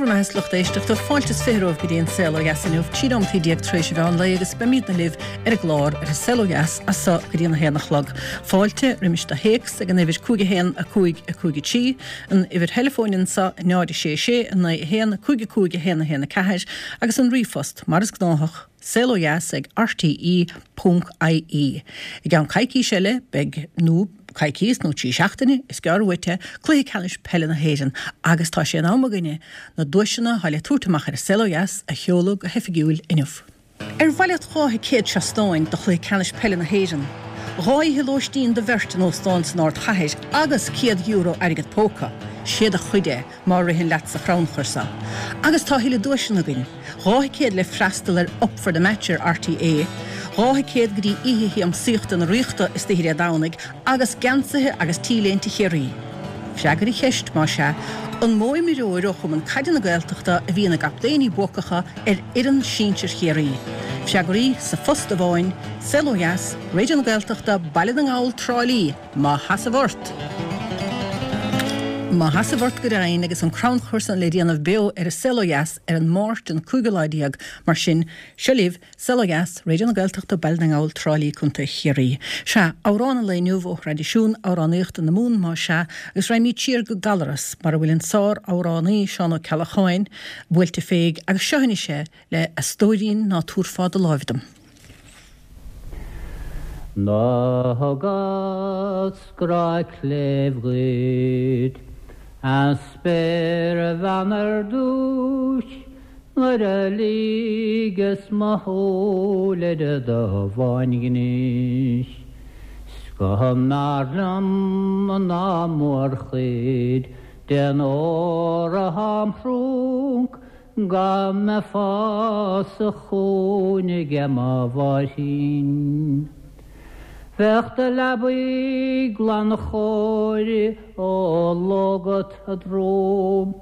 bhur mbeatha a lucht éisteachta, fáilte is 20 romhaibh go dtí an Saol Ó Dheas inniu, 13 nóimeataí tar éis an mheán lae agus beimidne libh ar an gclár ar an Saol Ó Dheas as so go dtí an 1 a chlog. Fáilte roimis do théacs ag an uimhir 5 1 5 5 3, an uimhir theileafóin anso 0 6 6 9 1 5 5 1 1 4 agus an ríomhphost mar is gnáthach, saolodheas ag rte ponc ie. I gceann coicís eile beidh, nó coicíos nó 3 seachtaine, is gearr uait é, Cluiche Ceannais Peile na hÉireann agus tá sé in am againne na duaiseanna atá le tabhairt amach ar an Saol Ó Dheas a sheoladh go hoifigiúil inniu. Ar mhaith leat 2 thicéad seastáin do Chluiche Ceannais Peile na hÉireann, 2 oíche lóistín do bheirt in óstán san ardchathair agus €100 airgead póca? Sé do chuid é má ritheann leat sa chrannchur seo. Agus tá a thuilleadh duaiseanna againn. 2 thicéad le freastal ar Up for the Match ar RTÉ, 2 thicéad go dtí Oíche Shiamsaíochta na Ríochta istoíche Dé Domhnaigh agus geansaithe agus T-léinte Chiarraí. Freagair an cheist, más ea, an mó imreoir ó Chumann Caide na Gaeltachta a bhí ina gcaptaeiní buacacha ar fhoireann sinsir Chiarraí? Freagraí sa phost amháin, Saol Ó Dheas, Raidió na Gaeltachta, Baile na nGall, Trá Lí. Má sheasamh ort. Má sheasamh ort go deimhin agus an crannchur san le déanamh beo ar an Saol Ó Dheas ar an Máirt an cúigiú lá déag, mar sin, seo libh, Saol Ó Dheas, Raidió na Gaeltachta, Baile na nGall, Trá Lí, Contae Chiarraí. Sea, amhrán an lae inniu ó thraidisiún amhránaíochta na Mumhan más ea, agus raghaimid siar go Gallaras, mar a bhfuil an sár-amhránaí Seán Ó Ceallacháin buailte féig, agus seo anois é le A Stóirín ná Tabharfá do Láimh Dom. Do thugas grá cléibh dhuit, a spéirbhean ar dtúis, nuair a ligeas mo shúil ar do bháinghnéis. 'S go mb'fhearr liom ná mórchuid den ór athá im thrúnc Go mbeifeá sa chúinne aige mo mháithrín. Bheadh do leabaidh glan chóir ó lógat a drom,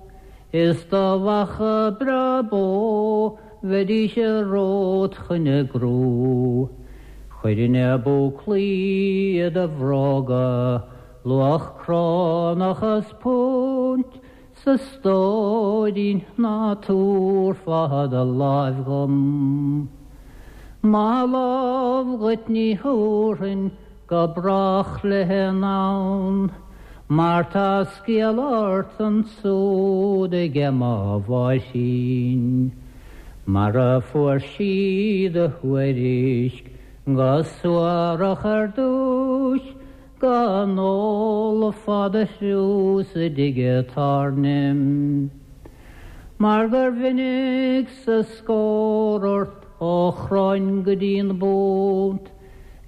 is do bheacha breá bó bheidís romhat chun a gcrú. Chuirfinn na búclaí i do bhróga, luach crónach is púnt, 'S a stóirín ná tabharfá do láimh dhom. Mo lámh dhuit ní thabharfainn go brách léi anonn, mar tá scéal ort ansúd aige mo mháithrín. Mar a fuair sí do thuairisc go suarach ar dtúis, Go n-ólfá do thriús i dtigh an tábhairne. Mar gur mhinic sa scór ort ó chroinn go dtí'n bpunt,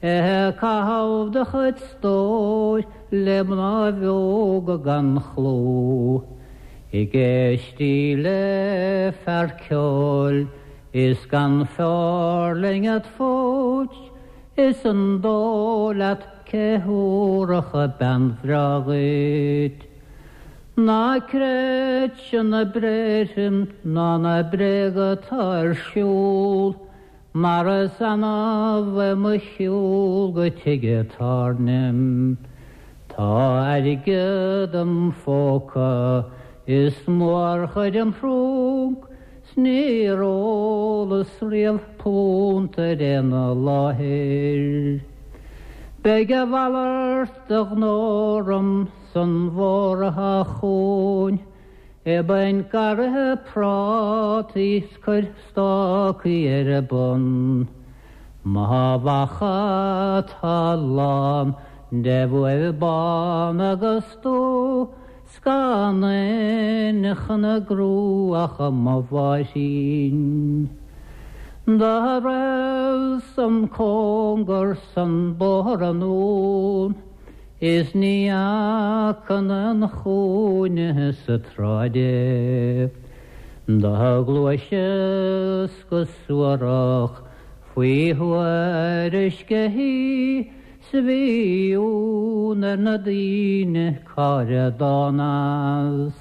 ag caitheamh do chuid stóir le mnáibh óga gan chlú, ag éistí le fear ceoil is gan feoirling id phúits, Is an dóigh leat cé thabharfadh bean bhreá dhuit? Ná creidse na bréithre ná na bréaga atá ar siúl, mar is annamh é mo shiúl go tigh an tábhairne. Tá airgead im phóca is mórchuid im thrúnc, 'S níor ólas riamh punt ar aon láthair. Beidh a mhalairt de ghnó orm san bhfómhar atá chugainn, Bain garraithe prátaí 's cuir stácaí ar a bun. Mo bheacha atá lán de bhuaibh bán agus dubh, 'S gan éinne chun a gcrú ach mo mháithrín. Do raibh-sa an cóngar san bóthar anonn is ní fhaca aon chúinne sa tsráid é. Do ghluaiseas go suarach faoi thuairisc a thí 'S bhí ionadh ar na daoine cá raibh dán as.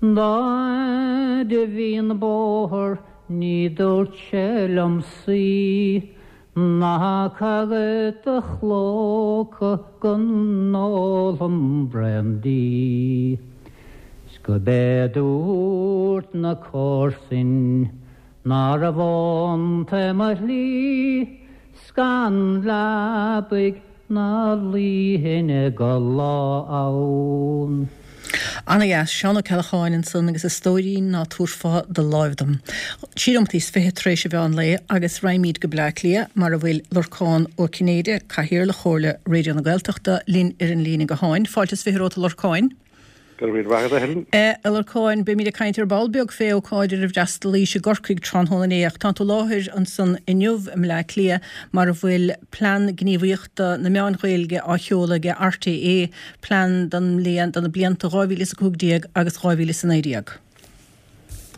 Dá fhaid a bhí an bóthar ní dúirt sé liom suí, ná cá fhad do chlóca go n-ólfam braon dí. 'S. 'S go b'é dúirt na comharsain ná raibh iontu mo shlí 's gan leabaidh ná luífinn go lá ann. Ana dheas, Seán Ó Ceallacháin ansan agus a stóirín ná tabharfá do láimh dom. 23 nóimeataí tar éis an mheán lae agus raghaimíd go Bleá Cliath mar a bhfuil Lorcán Ó Cinnéide, Cathaoirleach Chomhairle Raidió na Gaeltachta, linn ar an líne gutháin. Fáilte is 20 romhat a Lorcáin. Go raibh míle maith agat, a Helen. A Lorcáin, beimid ag caint ar ball beag fé ócáid ar ar fhreastalaís i gCorcaigh tráthnóna inné ach tánn tú i láthair ansan inniu i mBleá Cliath mar a bhfuil Plean Gníomhaíochta na Meáin Ghaeilge á sheoladh ag RTÉ, plean don mbliain, do na blianta 2015 agus 2019.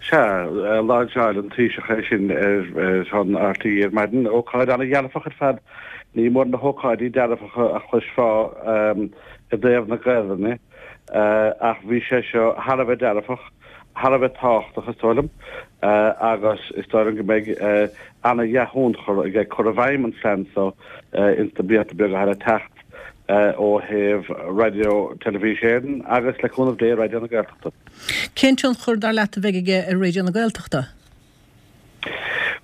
Sea, lainseáil an Taoiseach é sin ar son RTÉ ar maidin. Ócáid an-dhearfach ar fad. Ní mór na hócáidí dearfacha a chloisfeá i dtaobh na Gaelainne ach bhí sé seo thar a bheith dearfach, thar a bheith tábhachtach is dóigh liom agus is dóigh liom go mbeidh an-dhea-thionchar aige cur i bhfeidhm an phlean seo ins na blianta beaga atá le teacht ó thaobh Raidió Teilifís Éireann agus, le cúnamh Dé, Raidió na Gaeltachta. Cén tionchar, dar leat, a bheidh aige ar Raidió na Gaeltachta?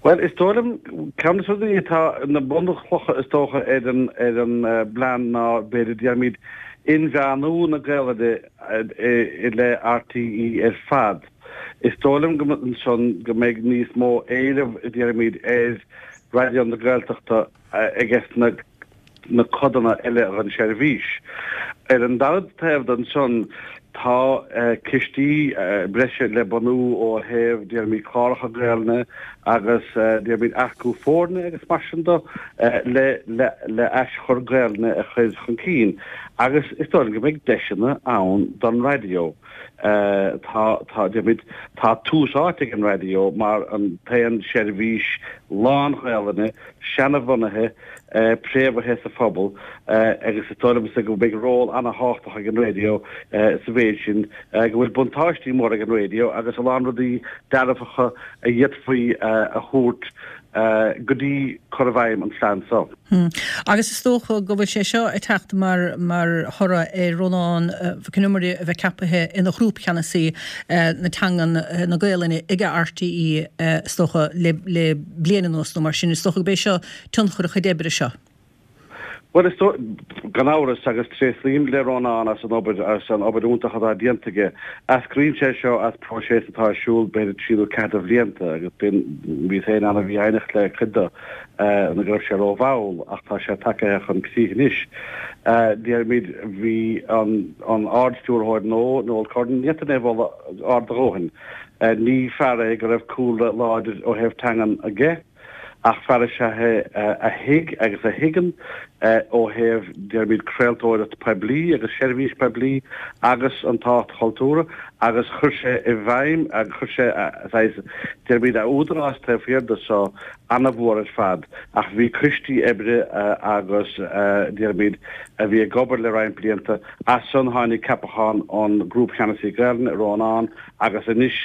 Bhuel, is dóigh liom, ceann de na rudaí atá ina bunchlocha is dócha ar an ar an bplean ná, b'fhéidir, déarfaimid, inmheánú na Gaelainne i leith RTÉ ar fad. Is dóigh liom go ansan go mbeidh níos mó éileamh, déarfaimid, ar Raidió na Gaeltachta aige sna na codanna eile den seirbhís. Ar an dara taobh de ansan, tá cistí breise le bunú ó thaobh, déarfaimid, cláracha Gaelainne agus, déarfaimid, earcú foirne agus mar sin de le le aschur Gaelainne a chur chun cinn. Agus is dóigh liom go mbeidh deiseanna ann don raidió. Tá, tá, déarfaimid, tá tús áite ag an raidió mar an t-aon seirbhís lán-Ghaelainne seanabhunaithe, préamhaithe sa phobal agus is dóigh liomsa go mbeidh ról ana-thábhachtach ag an raidió sa mhéid sin go bhfuil buntáistí móra ag an raidió agus a lán rudaí dearfacha a d'fhéadfaí a thabhairt go dtí cur i bhfeidhm an phlean seo. Agus is dócha go bhfuil sé seo ag teacht mar mar thoradh ar Rónán Mac Con Iomaire a bheith ceapaithe ina ghrúpcheannasaí na teangan na Gaelainne ag RTÉ is dócha le le bliain anuas nó mar sin. Is dócha go b'é seo tionchar a chuid oibre seo. Bhuel, is dóigh, gan amhras, agus tréaslaím le Rónán as an obair, as an obair iontach atá déanta aige. Eascraíonn sé seo as próiseas atá ar siúl b'fhéidir trí nó ceathair de bhlianta agus bíonn, bhíos féin an-mhífhoighneach le cuid de nó go raibh sé rómhall ach tá sé tagaithe chun críche anois. Déarfaimid, bhí an, an Ard-Stiúrthóir nua, Noel Curran, ní fhéadfainn é a mholadh ard a dhóthain. Ní fear é go raibh cúlra láidir ó thaobh teangan aige. Ach fear is ea é a thuig agus a thuigeann ó thaobh, déarfaimid, craoltóireacht poiblí agus seirbhís poiblí agus an tábhacht chultúrtha agus chuir sé i bhfeidhm agus chuir sé saghas, déarfaimid, a údarás taobh thiar de so ana-mhór ar fad. Ach bhí coistí oibre agus, déarfaimid, a bhí ag obair le roinnt blianta. As san tháinig ceapachán an Grúpcheannasaí Gaelainne, Rónán, agus anois,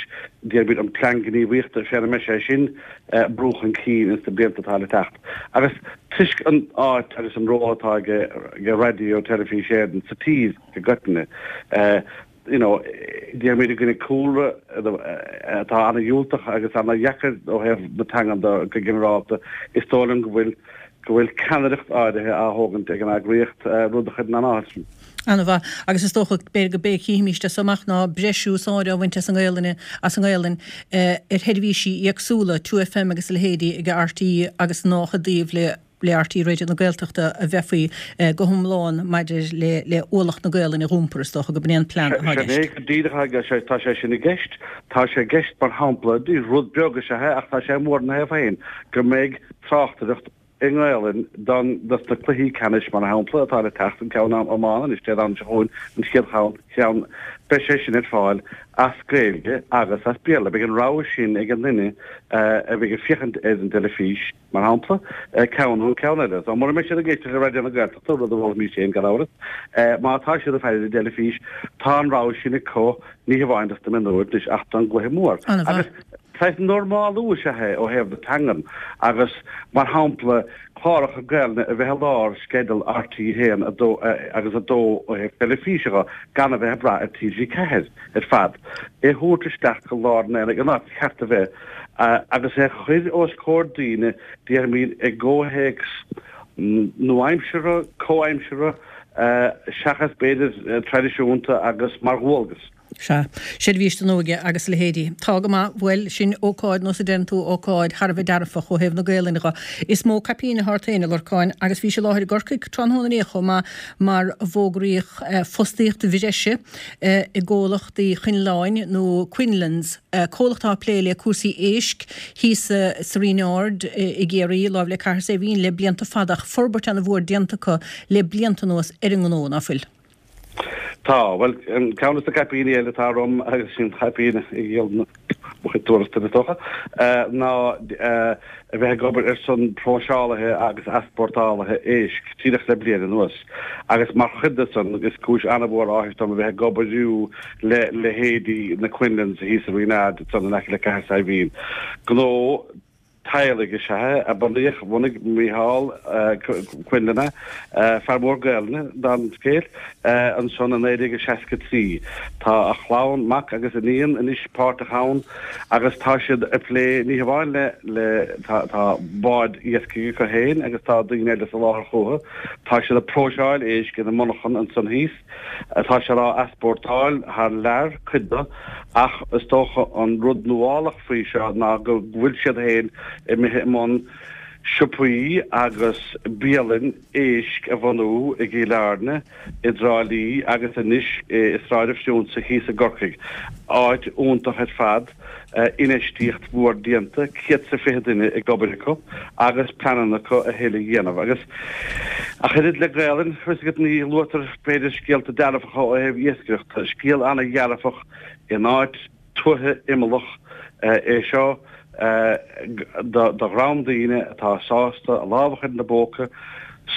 déarfaimid, an plean gníomhaíochta, féna mbeidh sé sin, brú chun cinn ins na blianta atá le teacht. Agus toisc an áit agus an ról atá ag Raidió Teilifís Éireann sa tír i gcoitinne, you know, déarfaimid i gcoinne cúlra atá ana-dhiúltach agus ana-dheacair ó thaobh na teangan de go ginearálta, is dóigh liom go bhfuil go bhfuil ceannaireacht áirithe á thógaint ag an eagraíocht, rud a chuireann an-áthas orm. Ana-mhaith. Agus is dócha, b'fhéidir go b'é a chífimíst as so amach ná breis úsáide á bhaint as an nGaelainn, as an nGaelainn ar sheirbhísí éagsúla, 2FM agus a leithéidí ag RTÉ agus nách i dtaobh le le RTÉ Raidió na Gaeltachta a bheifí go hiomlán maidir le le ualach na Gaelainne a dh'iompar, is dócha go b'in é an plean atá i gceist. Sin é go díreach é, tá sé sin i gceist. Tá sé i gceist, mar shampla, rud beag is ea é ach tá sé mór ina thaobh féin, go mbeidh tráchtaireacht i nGaelainn don dos na cluichí ceannais mar shampla atá le teacht, an ceann iomána anois Dé Domhnaigh seo chugainn, an chéad cheann, cheann, beidh sé sin ar fáil as Gaeilge agus as Béarla. Beidh an rogha sin ag an duine a bheidh ag féachaint ar an dteilifís, mar shampla, ceann nó an ceann eile. So mura mbeidh siad ag éisteacht le Raidió na Gaeltachta, rud a mholfaimís féin gan amhras, má tá siad ag faire ar an dteilifís, tá an rogha sin acu, ní hamháin dos na mionúir anois ach don gcluiche mór. Agus. Saghas normálú is ea é ó thaobh na teangan agus, mar shampla, cláracha Gaelainne a bheith i lár sceideal RTÉ 1, 2 agus 2 ó thaobh teilifíse dho, gan a bheith ag brath ar TG4 ar fad, é a thabhairt isteach go lár an aonaigh, an áit ba cheart a bheith, agus é a chur os comhair daoine, déarfaimid, i gcomhthéacs nua-aimseartha, comhaimseartha, seachas, b'fhéidir, traidisiúnta agus mar dhualgas. Sea. Seirbhís don Óige agus a leithéidí. Tá go maith. Bhuel, sin ócáid, nó is a deireann tú, ócáid thar a bheith dearfach ó thaobh na Gaelainne dho. Is mó caipín atá ort féin, a Lorcáin, agus bhís i láthair i gCorcaigh tráthnóna inné chomh maith mar a bhfógraíodh fostaíocht bhreise i gcomhlacht Uí Choinleáin nó Quinlan's, comhlacht atá ag plé le cúrsaí éisc thíos sa Rinn Ard i gCiarraí, láimh le Cathair Saidhbhín le blianta fada ach forbairt ana-mhór déanta acu le blianta anuas ar an ngnó, ná fuil? Tá. Bhuel, ceann de na caipíní eile atá orm, agus sin caipín a dhíolann mo chuid tuarastail is dócha, ná a bheith ag obair ar son próiseálaithe agus easpórtálaithe éisc díreach le bliain anuas. Agus mar chuid de san, is cúis an-mhór áthais dom a bheith ag obair le leithéidí na Quinlans thíos sa Rinn Ard ansan in aice le Cathair Saidhbhín. Gnó teaghlaigh is ea é, a bunaíodh, bhunaigh Mícheál Quinlan é, fear mór Gaelainne, dála an scéil, ansan i 1963. Tá a chlann, mac agus iníon, anois páirteach ann agus tá siad ag plé ní hamháin le, le, tá, tá báid iascaigh acu féin agus tá daoine eile ag soláthar chucu, tá siad ag próiseáil éisc ina monarchan ansan thíos. Tá siad á easpórtáil thar lear, cuid de, ach is dócha an rud nuálach faoi seo ná go bhfuil siad féin imithe i mbun siopaí agus bialann éisc a bhunú i gCill Airne, i dTrá Lí agus anois i Sráid an Phriúnsa thíos i gCorcaigh. Áit iontach ar fad. infheistíocht mhór déanta, 120 duine ag obair acu agus pleananna acu a thuilleadh a dhéanamh. Agus ach oiread le Gaelainn, fios agat, ní luaitear b'fhéidir scéalta dearfacha ó thaobh iascaireachta. Scéal an-dhearfach in áit tuaithe imeallach é seo do dhream daoine atá sásta a lámh a chur ina bpóca,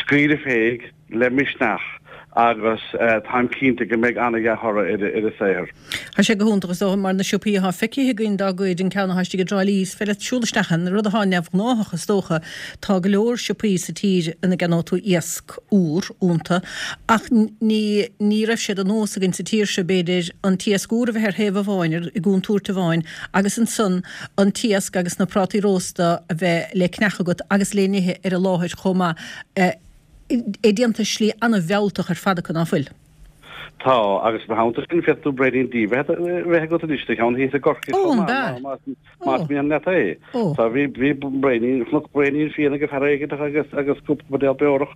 scaoileadh féig, le misneach agus táim cinnte go mbeidh ana-dhea-thoradh ar a saothar. Tá sé go hiontach is dócha mar na siopaí atá feicthe againn dá gcuid, an ceann atá istigh i dTrá Lí, is féidir leat siúl isteach ann, rud atá neamhghnáthach is dócha. Tá go leor siopaí sa tír ina gceannóidh tú iasc úr iontu ach ní ní raibh sé de nós againn sa tír seo b'fhéidir an t-iasc úr a bheith ar thaobh amháin, i gcontúirt amháin agus ansan an t-iasc agus na prátaí rósta a bheith le ceannach agat agus le n-ithe ar an láthair chomh maith. É déanta i slí an-mhealltach ar fad acu, ná fuil? Tá, agus ina theannta sin, féadfaidh tú braoinín dí a bheith agat anois sa cheann thíos i gCorcaigh chomh maith, más mian leat é. Tá, bhí, bhí braoinín, chonac braoinín fíona ag fear éigin agus, agus cúpla buidéal beorach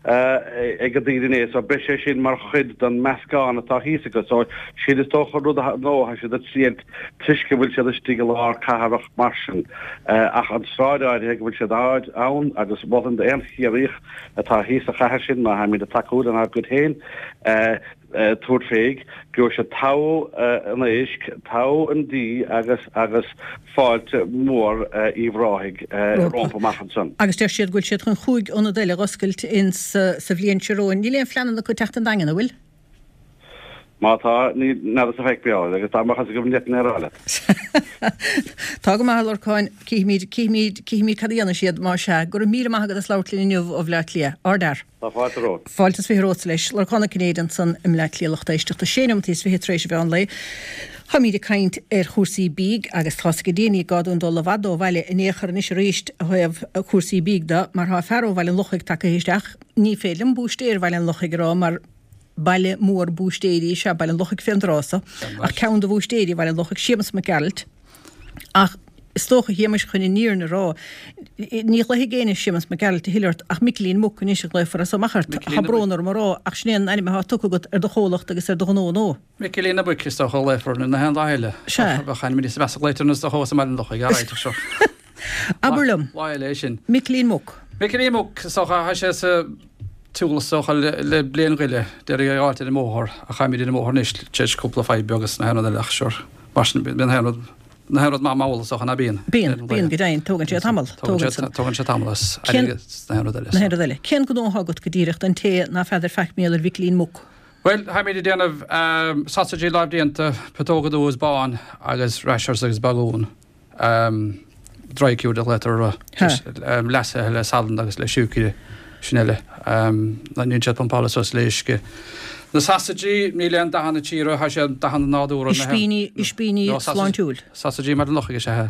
ag an daoine inné, so beidh sé sin mar chuid den meascán atá thíos acu. So, sin is dócha rud a, nó, tá siad ag triailt toisc go bhfuil siad istigh i lár cathrach mar sin. Ach an tsráid áirithe go bhfuil siad ann agus mholfainn d'aon Chiarraíoch atá thíos sa chathair sin, má tháimid ag tacú lenár gcuid féin, tabhairt féig, gheobhaidh siad togha an éisc, togha an dí agus agus fáilte mhór Uíbh Ráthaigh rompu amach ansan. Agus deir siad go bhfuil siad chun chúig ionad eile a dh'oscailt ins sa bhliain seo romhainn. Níl aon phleananna acu teacht 'on Daingean, an bhfuil? Má tá, ní n'fheadar sa feic beo agus dá mbeadh fhios agam ní fhéadfainn é a rá leat. Tá go maith, a Lorcáin. Cífimid, cífimid, cífimid cad a dhéanfaidh siad, má sea. Go raibh míle maith agat as labhairt linn inniu ó Bhleá Cliath. Ardfhear. Tá fáilte romhat. Fáilte is 20 romhatsa leis. Lorcán Ó Cinnéide ansan i mBleá Cliath lucht éisteachta. Sé neomat is 20 tar éis an mheán lae. Táimíd ag caint ar chúrsaí bídh agus tá's ag daoine ní gá dúinn dul i bhfad ó bhaile in aon chor anois arís ó thaobh cúrsaí bídh de mar tá fear ó Bhaile an Lochaigh tagtha isteach. Ní féidir liom búistéir Bhaile an Lochaigh a rá mar Baile mór búistéirí is ea Baile an Lochaigh fén dtráth so, ach ceann de bhúistéirí Bhaile an Lochaigh, Séamus Mac Gearailt. Ach is dócha, a Shéamuis, chun an fhírinne a rá, ní ghlaofaidh éinne Séamus Mac Gearailt a thuilleadh ort ach Micilín Muc anois a ghlaofar as so amach ort. Tá brón orm a rá, ach sin é an ainm atá tugtha agat ar do chomhlacht agus ar do ghnó nó? Micilín na Muice is dócha a ghlaofar nó na haon dath eile. Sea. Bheadh ainm níos measa glaoite orm is dócha abhus i mBaile an Lochaigh, alright, ach seo. Abair liom. Lá eile é sin. Micilín Muc. Micilín Muc, is dócha, tá sé sa tsiúl is dócha le bliain go leith, d'iarraidh é a fháilt ar an mbóthar ach táimid ar an mbóthar anois tar éis cúpla fadhb beag agus na haon rud eile ach sure, mar sin bíonn na haon rud, na haon rud maith mall is dócha ná bíonn. Bíonn, bíonn go deimhin, tógann sé tamall, tógann san. Tógann sé tamall as airgead na haon rud eile. Na haon rud eile. Cén gnó atá agat go díreach don té ná feadar faic mar gheall ar Mhicilín Muc? Bhuel, táimid ag déanamh sausages lámhdéanta, putóga dubh is bán agus rashers agus bagún. Dry cured a ghlaotar orthu. Leasaithe le salann agus le siúcra, sin uile. Níl siad pumpáilte suas le uisce. Na sasaidí, níl aon dathanna orthu, tá siad dathanna nádúrtha. Ispíní, ispíní sláintiúil. Sasaidí i mBaile an Lochaigh is ea.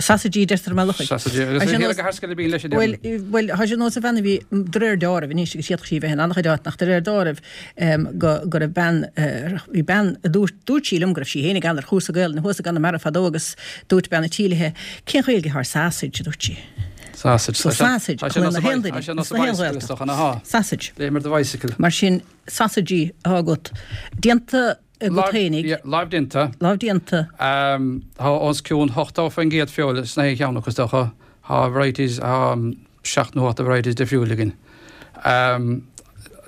Sasaidí, deirtear i mBaile an Lochaigh. Sasaidí, agus ní hé go thar bíonn leis an Bhuel, bhuel, tá sé nós a bhean a bhí de réir deáraimh anois agus d'fhéadfadh sí a bheith in an-chuid áit nach de réir deáraimh go go raibh bean, bhí bean a dúirt, dúirt sí liom go raibh sí féin ag an ar chúrsa Gaelainne thuas i gConamara fadó agus dúirt bean a' tí léithe, cén Ghaeilge atá ar sausage, a dúirt sí. Sausage. So sausage, tá sé na haon duine, is na haon Ghaeltacht. Sausage. Léim ar do bicycle. Mar sin, sasaidí atá agat. Déanta agat fhéinig. Lámh déanta. Lámh déanta. Tá os cionn 80% feoil sna haon cheann acu is dócha. Tá varieties, tá 7 nó 8 varieties difriúil againn.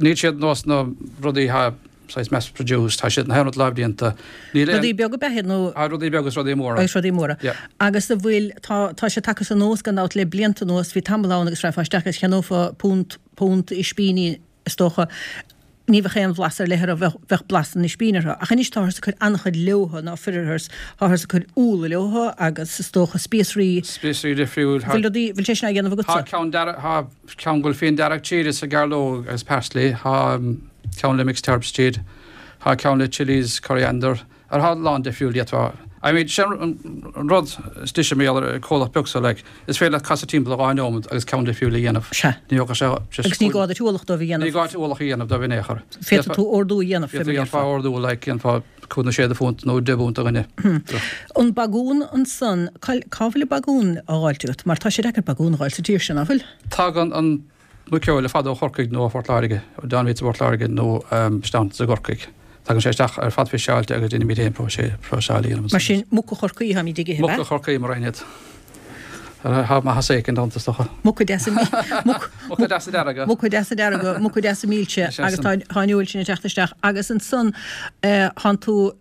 Níl siad nós na rudaí atá saghas mass produced, tá siad na haon rud lámh déanta. Níl aon. Rudaí beaga ab ea iad nó? Tá rudaí beaga is rudaí móra. Agus rudaí móra. Yeah. Agus a bhfuil, tá, tá sé tagtha anuas gan dabht le blianta anuas, bhí tamall ann agus rachfá isteach agus cheannófá punt, punt ispíní is dócha, ní bheadh aon bhlas ar leith orthu, bheadh, bheadh blas an ispín orthu. Ach anois táthar ag cur an-chuid leothu, ná fuirearthas, táthar ag cur úlla leothu agus is dócha spíosraí. Spíosraí difriúil. Bhfuil rudaí, bhfuil sé sin á dhéanamh agatsa? Tá ceann dearg, tá ceann go bhfuil fíon dearg tríd is gairleog agus parsley, tá ceann le mixed herbs tríd, tá ceann le chillies, coriander. Ar thá a lán difriúil d'fhéadfá, I mean, sin an rud is deise mar gheall ar an comhlacht beag so, like, is féidir leat casadh timpeall i dhá neomad agus ceann difriúil a dhéanamh. Sea. Ní thógfadh sé just Agus ní gá duit ualach dóibh a dhéanamh. Ní gá duit ualach a dhéanamh dóibh in aon chor. Féadfaidh tú ordú a dhéanamh, fé mar a déarfá. Féadfá ordú, like, dhéanfá cúig nó sé de phunt nó deich bpunt do dhuine. An bagún ansan, cá cá bhfuil an bagún á dh'fháilt agat? Mar tá sé deacair bagún a dh'fháil sa tír seo, ná fuil? Tagann an Muiceoil ar fad ó Chorcaigh nó ó Phort Láirge, ó Down Meats i bPort Láirge nó isteach i gCorcaigh. Tagann sé isteach ar fad fiseáilte agus déanaimid féin próiseáil a dhéanamh ansan. Mar sin, muca Chorcaí atáimid ag ithe, ab ea? Muca Chorcaí mar aon iad. Tá maitheas éicint iontu is dócha. Muca deasa Muca deasa dearga. Muca deasa dearga, muca deasa milse agus tá an fheoil sin ag teacht isteach agus ansan tánn tú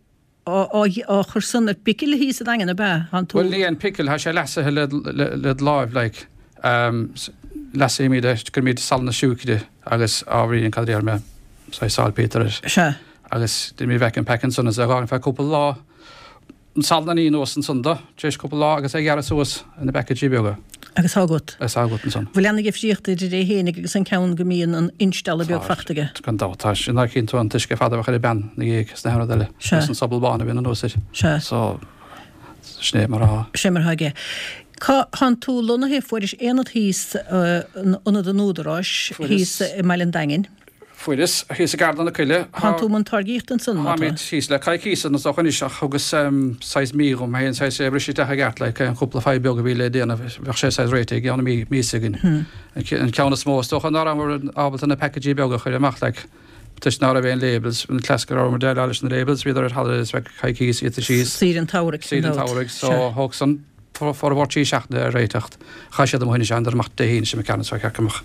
á chur san ar bpicil thíos sa Daingean, ab ea? Thánn tú. Bhuel, ní an picil, tá sé leasaithe le do láimh, like. Leasaímid é, cuirimid salann is siúcra agus ábhairín, cad a déarfaidh mé, saghas saltpeter air. Sea. Agus déanaimid vacuum pack ansan is é a dh'fhágaint feadh cúpla lá. An salann a ní anuas ansan do, tar éis cúpla lá agus é a ghearradh suas ina bpaicéidí beaga. Agus tá agat. Agus tá agat ansan. Bhfuil ana-dhifríocht idir é fhéinig agus an ceann go mbíonn an instealladh beag fachta aige? Gan dabht. Tá sin ná cíonn tú an t-uisce fada a bheadh ar an bpeann ina dhiaidh is na haon rud eile. Sea. Agus an sobal bán a bhíonn anuas air. Sea. So, sin é mar atá. Sin é mar atá aige. Cá thánn tú lonnaithe? Fuairis aonad thíos, ionad an Údaráis, thíos i mBaile an Daingin. Fuaireas, thíos i gCeardlann na Coille. Thánn tú i mbun táirgíochta ansan, má tá. Táimid thíos le coicís is dócha anois ach thugas saghas mí dhom féin, saghas é a bhriseadh isteach i gceart, like, an cúpla fadhb beag a bhí le déanamh, bheadh sé saghas réitithe i gceann mí, míosa againn. An ceann is mó is dócha ná rabhamar ábalta na packaidí beaga a chur amach, like, toisc ná raibh aon labels, an cleas go rabhamar déileáil leis na labels, bhíodar ar holidays feadh coicís, iadsa síos. Saoire an tsamhraidh, Saoire an tsamhraidh, so thóg san. Formhór 3 seachtaine a réiteacht. Chaith siad amuigh anois thánadar amach Dé hAoine seo imigh ceannas ar chearc amach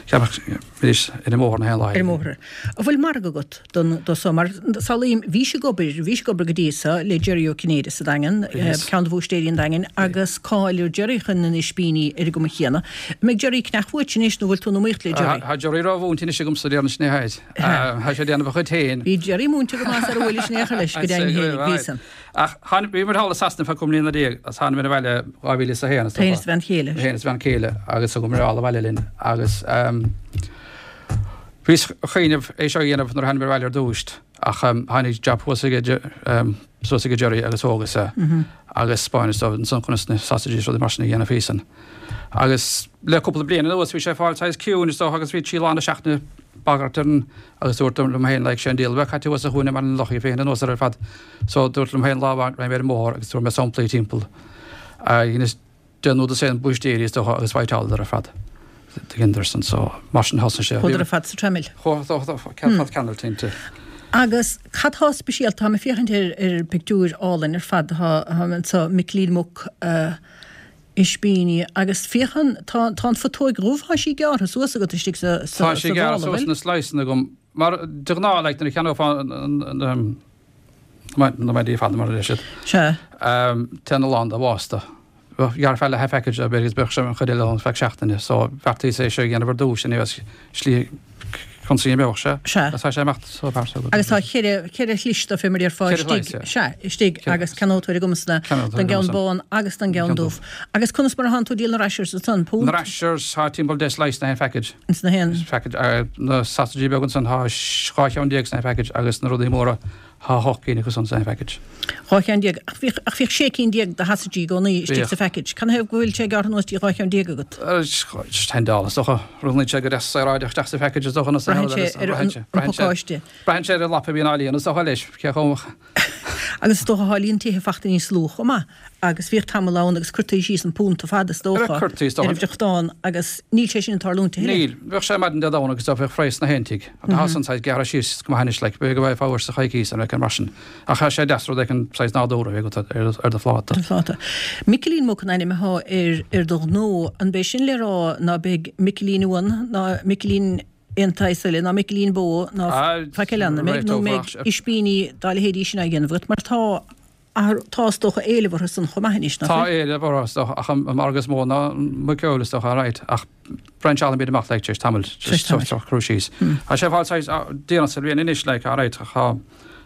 cheannach arís ar an mbóthar na haon lá Ar an mbóthar. An bhfuil margadh agat don do so? Mar samhlaím, bhís ag obair, bhís ag obair go dtí so le Jerry Ó Cinnéide sa Daingean, ceann de bhúistéirí an Daingin, agus cáil ar Jerry chun na n-ispíní ar an gcuma chéanna. An mbeidh Jerry ag cneach uait anois nó bhfuil tú in iomaíocht le Jerry? Tá Jerry ró-mhúinte anois agamsa déarfainn sin é tháid. Tá sé ag déanamh a chuid féin. Bhí Jerry múinte go maith sar a bhuailis in aon chor leis, go deimhin féinig, bhí san. Ach tháinig, bhí muid thall i Sasana feadh 15 mbliana agus tháinig muid abhaile 2001 is dócha. Féin is do bhean chéile. Féin is bhean chéile agus thug muid all abhaile linn agus bhíos ag cuimhneamh é seo a dhéanamh nuair a tháinig muid abhaile ar dtús ach tháinig job thuas ag suas ag Jerry agus thógas é agus 'spáineas dó ansan conas na sausages rudaí mar sin a dhéanamh thíos ann. Agus le cúpla bliain anuas bhí sé ag fáil saghas ciúin is dócha agus bhí trí lá na seachtaine bagairt ar an agus dúrt liom féin like sé an diabhal a bheith caite thuas sa chúinne mar an loch í féin anuas air ar fad so dúrt liom féin lá amháin raghaidh mé ar an mbóthar agus tabharfaidh mé samplaí timpeall dheineas deich nó dosaen búistéirí is dócha agus bhfaighteáladar ar fad do Henderson so mar sin thosaigh sé. Chuadar ar fad sa traimil. Chuadar ar fad ceanailt inti. Agus cad tá speisialta, táim ag féachaint ar ar pictiúir álainn ar fad atá anseo, Micilín Muc, ispíní agus féachann, tá tá an phutóig dhubh, tá sí gearrtha suas agat istigh sa sa Tá sí gearrtha suas ina sliceanna agam mar de ghnáth like nuair a cheannófá an na maidí fada mar a deir siad. Sea. Téann a lán de bhásta. Ghearrfá leath package de b'fhéidir agus bheadh sé an chuid eile ann feadh seachtaine so bheartaíos é seo a dhéanamh ar dtús anyways slí. Consaí an beoch, sea. Sea. Agus tá sé imeacht so pearsa agat. Agus tá cheithre, cheithre shlis de fé mar a déarfá istigh, sea, istigh agus ceannótóir agamsa don gceann bán agus don gceann dubh. Agus conas mar atánn tú ag díol na rashers ansan? Punt? Na rashers, tá timpeall 10 slice sna haon phackage. Ins na haon. Package. Na sausages beaga ansan, tá 12 cheann sna haon package agus na rudaí móra, Thá 8 gcinn acu san san phackage. 12 cheann. Ach bhíodh, ach bhíodh 16 cinn de shasaidí i gcónaí istigh sa phackage. Canathaobh go bhfuil sé gearrtha anuas dtí 12 cheann agat? Tendáil is dócha. Rithneann sé go deas saoráideach isteach sa phackage is dócha na Braitheann sé ar an pacáiste. Braitheann sé ar an lapa a bhíonn á líonadh is dócha leis, cé chomh. Agus is dócha thá líon tithe fachta níos lú chomh maith. Agus bhíodh tamall ann agus cuirtí síos an punt fada is dócha ar an bhfriochtán agus níl sé sin ag tarlúint a thuilleadh. Níl. Bheadh sé maidin Dé Domhnaigh agus bheadh praghas sna haon tigh. Tá san saghas gearrtha síos go maith anois like b'fhéidir go bhfaighfeá uair sa choicís an rud mar sin. Ach tá sé deas rud éigin saghas nádúrtha a bheith agat ar do phláta. Ar do phláta. Micilín Muc an ainm athá ar ar do ghnó. An b'é sin le rá ná beidh Micilín uan ná Micilín aon tsaghas eile ná Micilín bó ná faic eile ann, an mbeidh? Nó an mbeidh ispíní dá leithéidí sin á dhéanamh agat mar tá Tá is dócha éileamh orthu san chomh maith anois, nach bhfuil? Tá éileamh orthu, is dócha, ach an margadh is mó ná muiceoil, is dócha, alright, ach brainseálfaimid amach, like, tar éis tamaill, tar éis tamaill, crú síos. Tá sé ag fáil saghas déanach sa bhliain anois, like, alright, ach tá,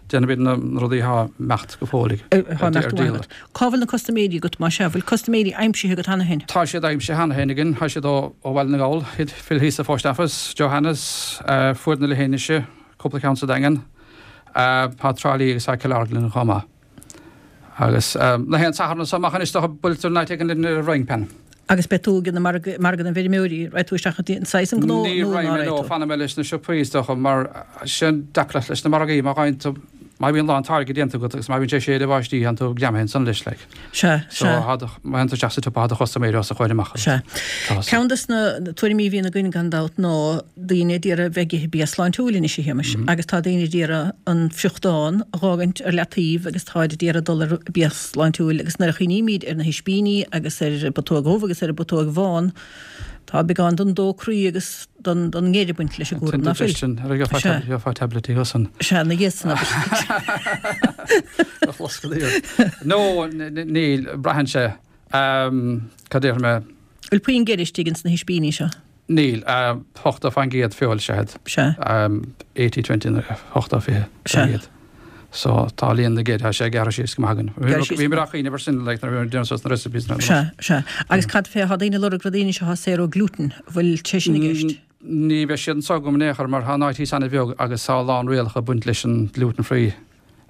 déanaimid na rudaí atá ag imeacht go fóill ag, Atá ag imeacht go maith agat. Cá bhfuil na custaiméirí agat, más ea? Bhfuil custaiméirí aimsithe agat cheana féin? Tá siad aimsithe cheana féin againn, tá siad ó Bhaile na nGall, Phil thíos sa Phost Office, Joe Hannas, Fuaid na Leithinise, cúpla ceann sa Daingean. Tá Trá Lí agus tá Cill Orglan chomh maith. Agus na haon Satharn anso amach anois dócha buailtear in áit éigin linn ar an bhFrying Pan. Agus beidh tú ag an margadh, margadh na bhfeirmeoirí, raghaidh tú isteach i saghas an gnó nó Ní ná raghaidh mé, no, tú? fanfaidh mé leis na siopaí is dócha mar sin an deacracht leis na margaí, má ghabhann tú, má bhíonn a lán táirge déanta agat agus má bhíonn sé ag séideadh báistí, tánn tú greamaithe ansan leis like. Sea, So sea. thá do, má théann tú isteach sa tsiopa thá do chustaiméirí os do chomhair amach agus Sea. tá sa. Ceann des na tuairimí a bhíonn againn gan dabht ná daoine a d'iarraidh bheith ag ithe bia sláintiúil anois a Shéamais agus tá daoine a d'iarraidh an friochtán a dh'fhágaint ar leataobh agus táid a d'iarraidh dul ar bia sláintiúil agus nuair a chuimhnímid ar na hispíní agus ar an bputóg dhubh agus ar an bputóg bhán tá beagán den dó croí agus don don ngeir ag baint leis an gcúram ná fuil? Indigestion, ar gheofá Sea. gheofá tabletí ansan. Sea, na dhiaidh san abair. A chloscadh iad. No, níl, braitheann sé. Cad déarfaidh mé? Bhfuil puinn geir istigh ins na hispíní seo? Níl, 80% feoil is ea iad. Sea. 80, 20, 80, 20 Sea. So tá líon na gceir, tá sé gearrtha síos go maith againn. Gearrtha síos Bhí mé á chuimhneamh ar sin like nuair a bhí mé ag déanamh suas na recipes na Sea, sea. Agus cad fé, tá daoine ag lorg rudaí anois atá saor ó gluten, an bhfuil sé sin i gceist? Ní bheidh siad anso agam in aon chor mar tá an áit thíos an-bheag agus tá a lán rialacha ag baint leis an gluten free.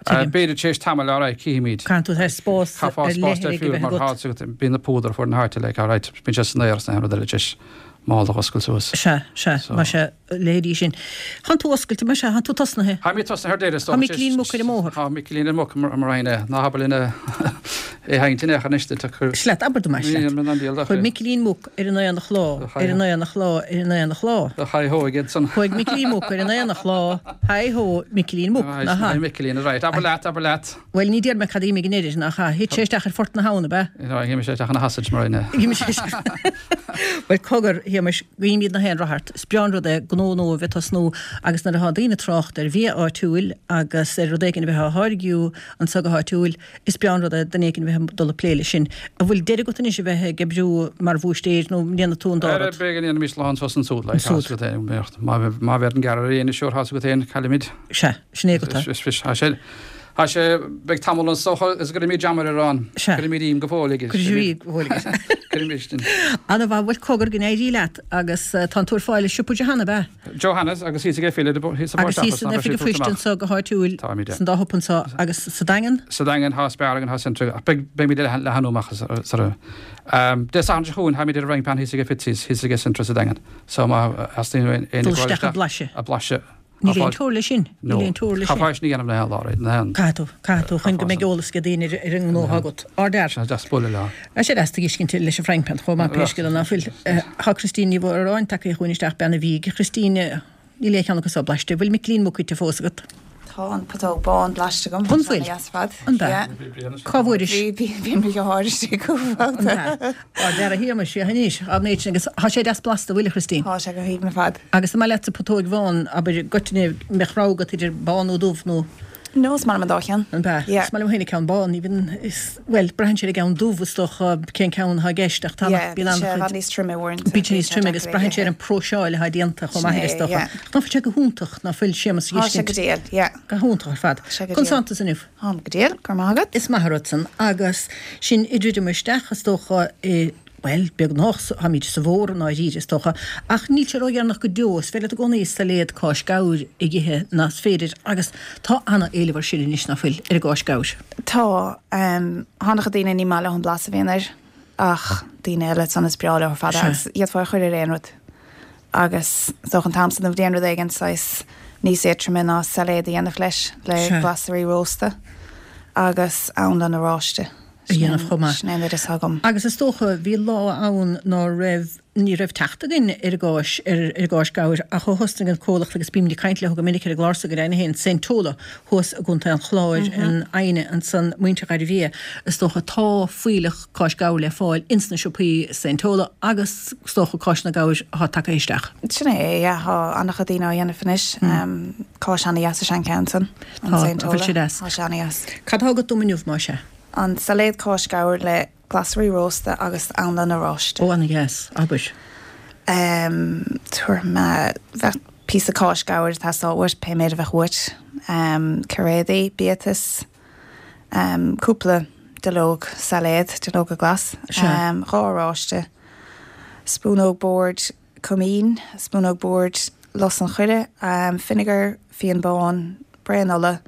Tuigim. B'fhéidir tar éis tamaill, alright, cífimid. Caithfidh tú spás Caithfeá ar spás leith a difriúil bheith mar agat. tá bíonn na púdar fuair na háite like, alright, bíonn sé san aer is na haon rud eile tar éis mála a oscailt suas. Sea, sea, So. mar sea, leithéidí sin. Thánn tú oscailte, mar sea, thánn tú tosnaithe. Tá mé tosnaithe ar deireadh, is Tá dócha. Micilín Muc ar an mbóthar. Tá Micilín ar Muc mar mar aon é. Ná habair linn é a sheinnt in aon chor anois duit ach Is leat, abair dom é, is leat. Níl mé in ann díol Chuir Micilín Muc ar an aonach lá, ar an aonach lá, ar an aonach lá. Haigh hó aige san. Chuaigh Micilín Muc ar an aonach lá, haigh hó, Micilín Muc, nach ea? Haigh Micilín, right. Abair leat, abair leat. Bhuel, ní déarfaidh mé cad a d'imigh in oiread, nach ea? Thit sé isteach ar phort na habhann, ab ea? No, d'imigh sé isteach ina shausage mar aon. D'imigh sé isteach. Bhuel, cogar, a Shéamais, guímid na haon rath ort. Is breá an rud é gnó nua a bheith ag tosnú agus nuair atá daoine ag trácht ar bhia áitiúil agus ar rud éigin a bheith á tháirgiú anso go háitiúil, Is breá an rud é duine éigin a bheith ag dul ag plé leis sin. An bhfuil deireadh agat anois a bheith ag oibriú mar bhúistéir nó an ndéanfaidh tú an dá rud? B'fhéidir go ndéanfaimis lá anso is ansúd, like, Ansúd. tá's agat féin, má, má bheireann gearradh ar aon sure, tá's agat féin, caillimid. Sea, sin é agat é. Is, is, tá sé, tá sé, beidh tamall anso is gcuirfimid jam ar arán. Sea. Cuirfimid im go fóill aige. Cuirfimid im go fóill aige. Cuirfimid sin. Ana-mhaith, bhuel cogar go n-éirí leat agus tá tú ar fáil i siopa Johanna, ab ea? Johanna's agus thíos ag Phil thíos sa Agus Post thíos Office san ná beidh Oifig siad an Phoist tabhairt amach. anso go háitiúil Táimid, san dá shiopa anso agus sa Daingean? Sa Daingean thá Spar againn thá Centra ach beidh beimid ag leathnú amach sar Dé Sathairn seo chugainn táimid ar an Frying Pan thíos ag Fitzy's thíos ag Centra sa Daingean so má theastaíonn uainn éinne Dul gabháil isteach ag isteach blaiseadh. ag blaiseadh Níl aon teora leis sin. No. Níl aon teora leis sin. Caithfeá sin a dhéanamh na haon lá right na haon. Caithfidh tú, caithfidh tú chun go mbeidh eolas ag daoine ar ar an ngnó atá agat. Ardfhear. Sé deas bualadh leo. Tá sé deas tuiscint leis an Frying Pan chomh maith pé scéal é ná fuil. Tá Christine Ní Mhóráin tagtha chugainn isteach bean an bhídh. A Christine, níl aon cheann acu so blaiste. Bhfuil Micilín Muc ite fós agat? Tá an putóg bán blaiste agam. An bhfuil? Tá sé ana-dheas ar fad. An ea? Yeah. Cá bhfuairis? Bhí, bhí, bhí mo dheartháir istigh cúpla An babhta. ea? Ardfhear a Shéamais, féach anois, an méid sin agus tá sé deas blasta, bhfuil, a Christine? Tá sé go haoibhinn ar fad. Agus an maith leatsa putóig bhán, abair, i gcoitinne, mbeadh rogha agat idir bán nó dubh nó. No, is maith liom an dá cheann. An ea? Yeah. Is maith liom féin an ceann bán, even is, bhuel, braitheann sé ar an gceann dubh is dócha cén ceann atá i gceist ach tá Yeah, bíonn bíonn sé i an-chuid, bhfad níos troime uaireanta. bíonn sé níos troime agus braitheann sé ar an próiseáil atá déanta chomh maith Sin air is é, dócha. yeah. Ach ná fuil sé go hiontach, ná fuil Séamus a Tá sé dh'fheiscint. go diail, yeah. Go hiontach ar fad. Tá sé go Conas diail. tánn tusa inniu? Táim go diail, go raibh maith agat. Is maith an rud san. Agus sinn ag druidim isteach is dócha i, bhuel, beagnach, táimid sa bhfómhar i ndáiríre is dócha, ach níl sé ródheireanach go deo, is féidir leat i gcónaí sailéad cáis gabhair a dh'ithe más féidir agus tá ana-éileamh air sin anois, ná fuil, ar an gcáis gabhair? Tá. Tá an-chuid daoine ní maith leo an blas a bhíonn air ach daoine eile ansan is breá leo ar fad é agus d'fhéadfá é a chur ar aon rud. Agus is dócha an t-am san den bhliain rud éigin saghas níos éadtroime ná sailéad a dhéanamh leis, le glasraí rósta agus anlann oráiste. a dhéanamh chomh maith. Sin é an oideas atá agam. Agus is dócha, bhí lá ann ná raibh, ní raibh teacht againn ar an gcáis, ar an gcáis gabhair ach ó thosnaigh an comhlacht agus bímid ag caint leo go minic ar an gclár so go deimhin féin, Saint Tola thuas i gContae an Chláir, in Aidhne ansan, muintir Ghairbhia, is dócha, tá fuílleach cáis gabhair le fáil ins na siopaí Saint Tola agus is dócha cáis na gabhair atá tagtha isteach. Sin é, yeah, tá an-chuid daoine á dhéanamh anois. Cáis ana-dheas is ea an ceann san, an Tá, Saint an bhfuil Tola. sé deas? Tá sé ana-dheas. Cad tá agat dom inniu, más ea? An sailéad cáis gabhair le glasraí rósta agus anlann oráiste. Ó, ana-dheas, abair. Tabharfaidh mé, bheadh píosa cáis gabhair ag teastáil uait, pé méid a bheadh uait. Cairéadaí, biatas. Cúpla duilleog sailéad, duilleoga glas, 2 oráiste, spúnóg boird coimín, spúnóg boird lus an choire, fínéagar, fíon bán, braon ola,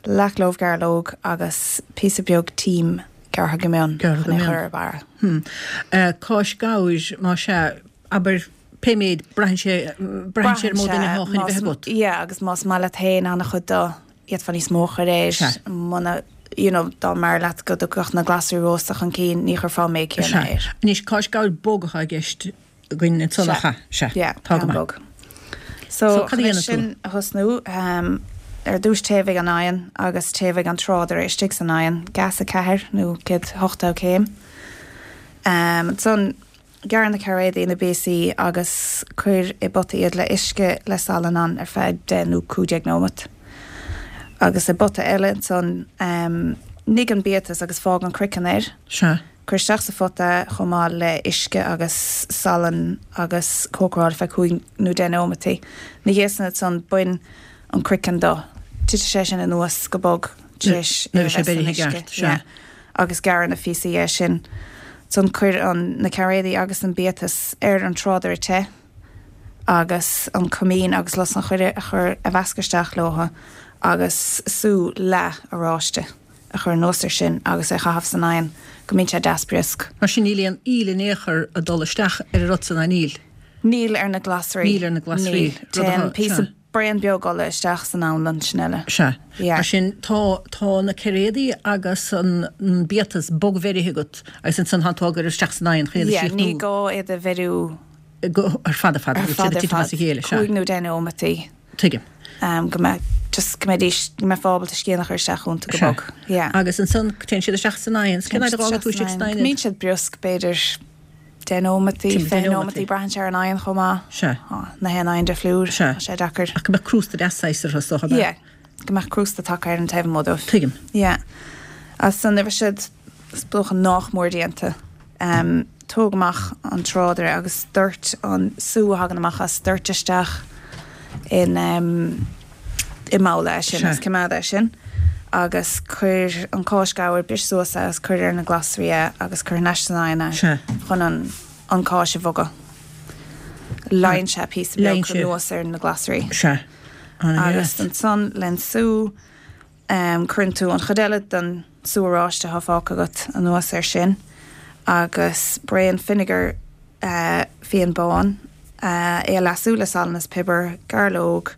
leathchlóbh gairleog agus píosa beag tím gearrtha go mion chun é a chur ar barra. Cáis gabhair, más ea, abair pé méid, braitheann sé, braitheann sé ar an mó duine atá chun a bheith agat. Yeah, agus más maith leat féin an-chuid dó, D'fhéadfá níos mó a chur air. Sea. Muna, you know, dá mb'fhearr leat go dtiocfadh na glasraí rósta chun cinn, ní chuirfeá an méid céanna Sea. air. Anois, cáis gabhair bog atá i gceist againn ansan, Sea. nach ea? Sea. Yeah, Tá go ceann maith. bog. So, So, cad a chun é dhéanann tú? sin a thosnú, ehm, ar dtús téamhaigh an oigheann agus téamhaigh an trádaire istigh san oigheann, gas 4 nó 180 céim. Ehm, ansan, Gearr na cairéadaí ina bpíosaí agus cuir i bpota iad le uisce le salann ann ar feadh 10 nó 15 nóimeat. Agus i bpota eile ansan, nigh an biatas agus fág an craiceann air. Sea. Cuir isteach sa phota é chomh maith le uisce agus salann agus cócaráil ar feadh 5 nó 10 nóimeataí. Ina dhiaidh san ansan bain an craiceann do. Titfidh sé sin anuas go bog tar éis é Nuair a a bheidh sé bheith san beirithe i uisce. gceart, sea. agus gearr ina phíosaí é sin. Ansan cuir an na cairéadaí agus an biatas ar an trádaire te agus an coimín agus lus an choire a chur a mheascadh isteach leo agus sú leath oráiste a chur anuas ar sin agus é a chaitheamh san oigheann go mbíonn sé deas briosc. Mar sin níl aon fhuíoll in aon chor ag dul isteach ar an rud san, ná níl? Níl ar na glasraí. Níl ar na glasraí. Níl. Téann píosa braon beag ola isteach san anlann, sin uile. Sea. Yeah. Mar sin, tá, tá na cairéadaí agus an biatas bogbheirithe agat agus ansan tánn tú á gcur isteach san oigheann chun iad a Yeah, chríochnú. ní gá iad a bheiriú. Go, ar fad, ar fad, Ar go bhfuil fad, siad ag ar titim fad. as a chéile, sea. Cúig nó deich nóimeataí. Tuigim. Um, go mbeidh, just go mbeidís, go mbeifeá ábalta scian a chur isteach iontu go Sea. bog. Yeah. Agus ansan téann siad isteach san oigheann. Cén fhad a fhágann tú istigh san Go oigheann iad? mbíonn siad briosc, b'fhéidir. 10 nóimeataí, 20 nóimeataí, braitheann sé ar an oigheann chomh maith. Sea. Tá na haon oigheann difriúil. Sea. Tá sé deacair. Ach go mbeadh crústa deas saghas orthu, is dócha, ab ea? Yeah. Go mbeadh crústa tagtha ar an taobh amuigh dóibh. Tuigim. Yeah. Agus nuair a bheidh siad, is dócha nách mór déanta, em, tóg amach an trádaire agus doirt an sú a thagann amach as, doirt isteach in, em, i mbabhla é sin agus coimeád é sin agus cuir an cáis gabhair, bris suas é agus cuir ar na glasraí é agus cuir thar n-ais san oigheann é chun an an cáis a bhogadh. Leigheann sé píosa beag anuas ar na glasraí. Agus ansan len sú cuireann tú an chuid eile den sú oráiste atá fágtha agat anuas air sin agus braon fínéagar fíon bán, é a leasú le salann is piobar, gairleog,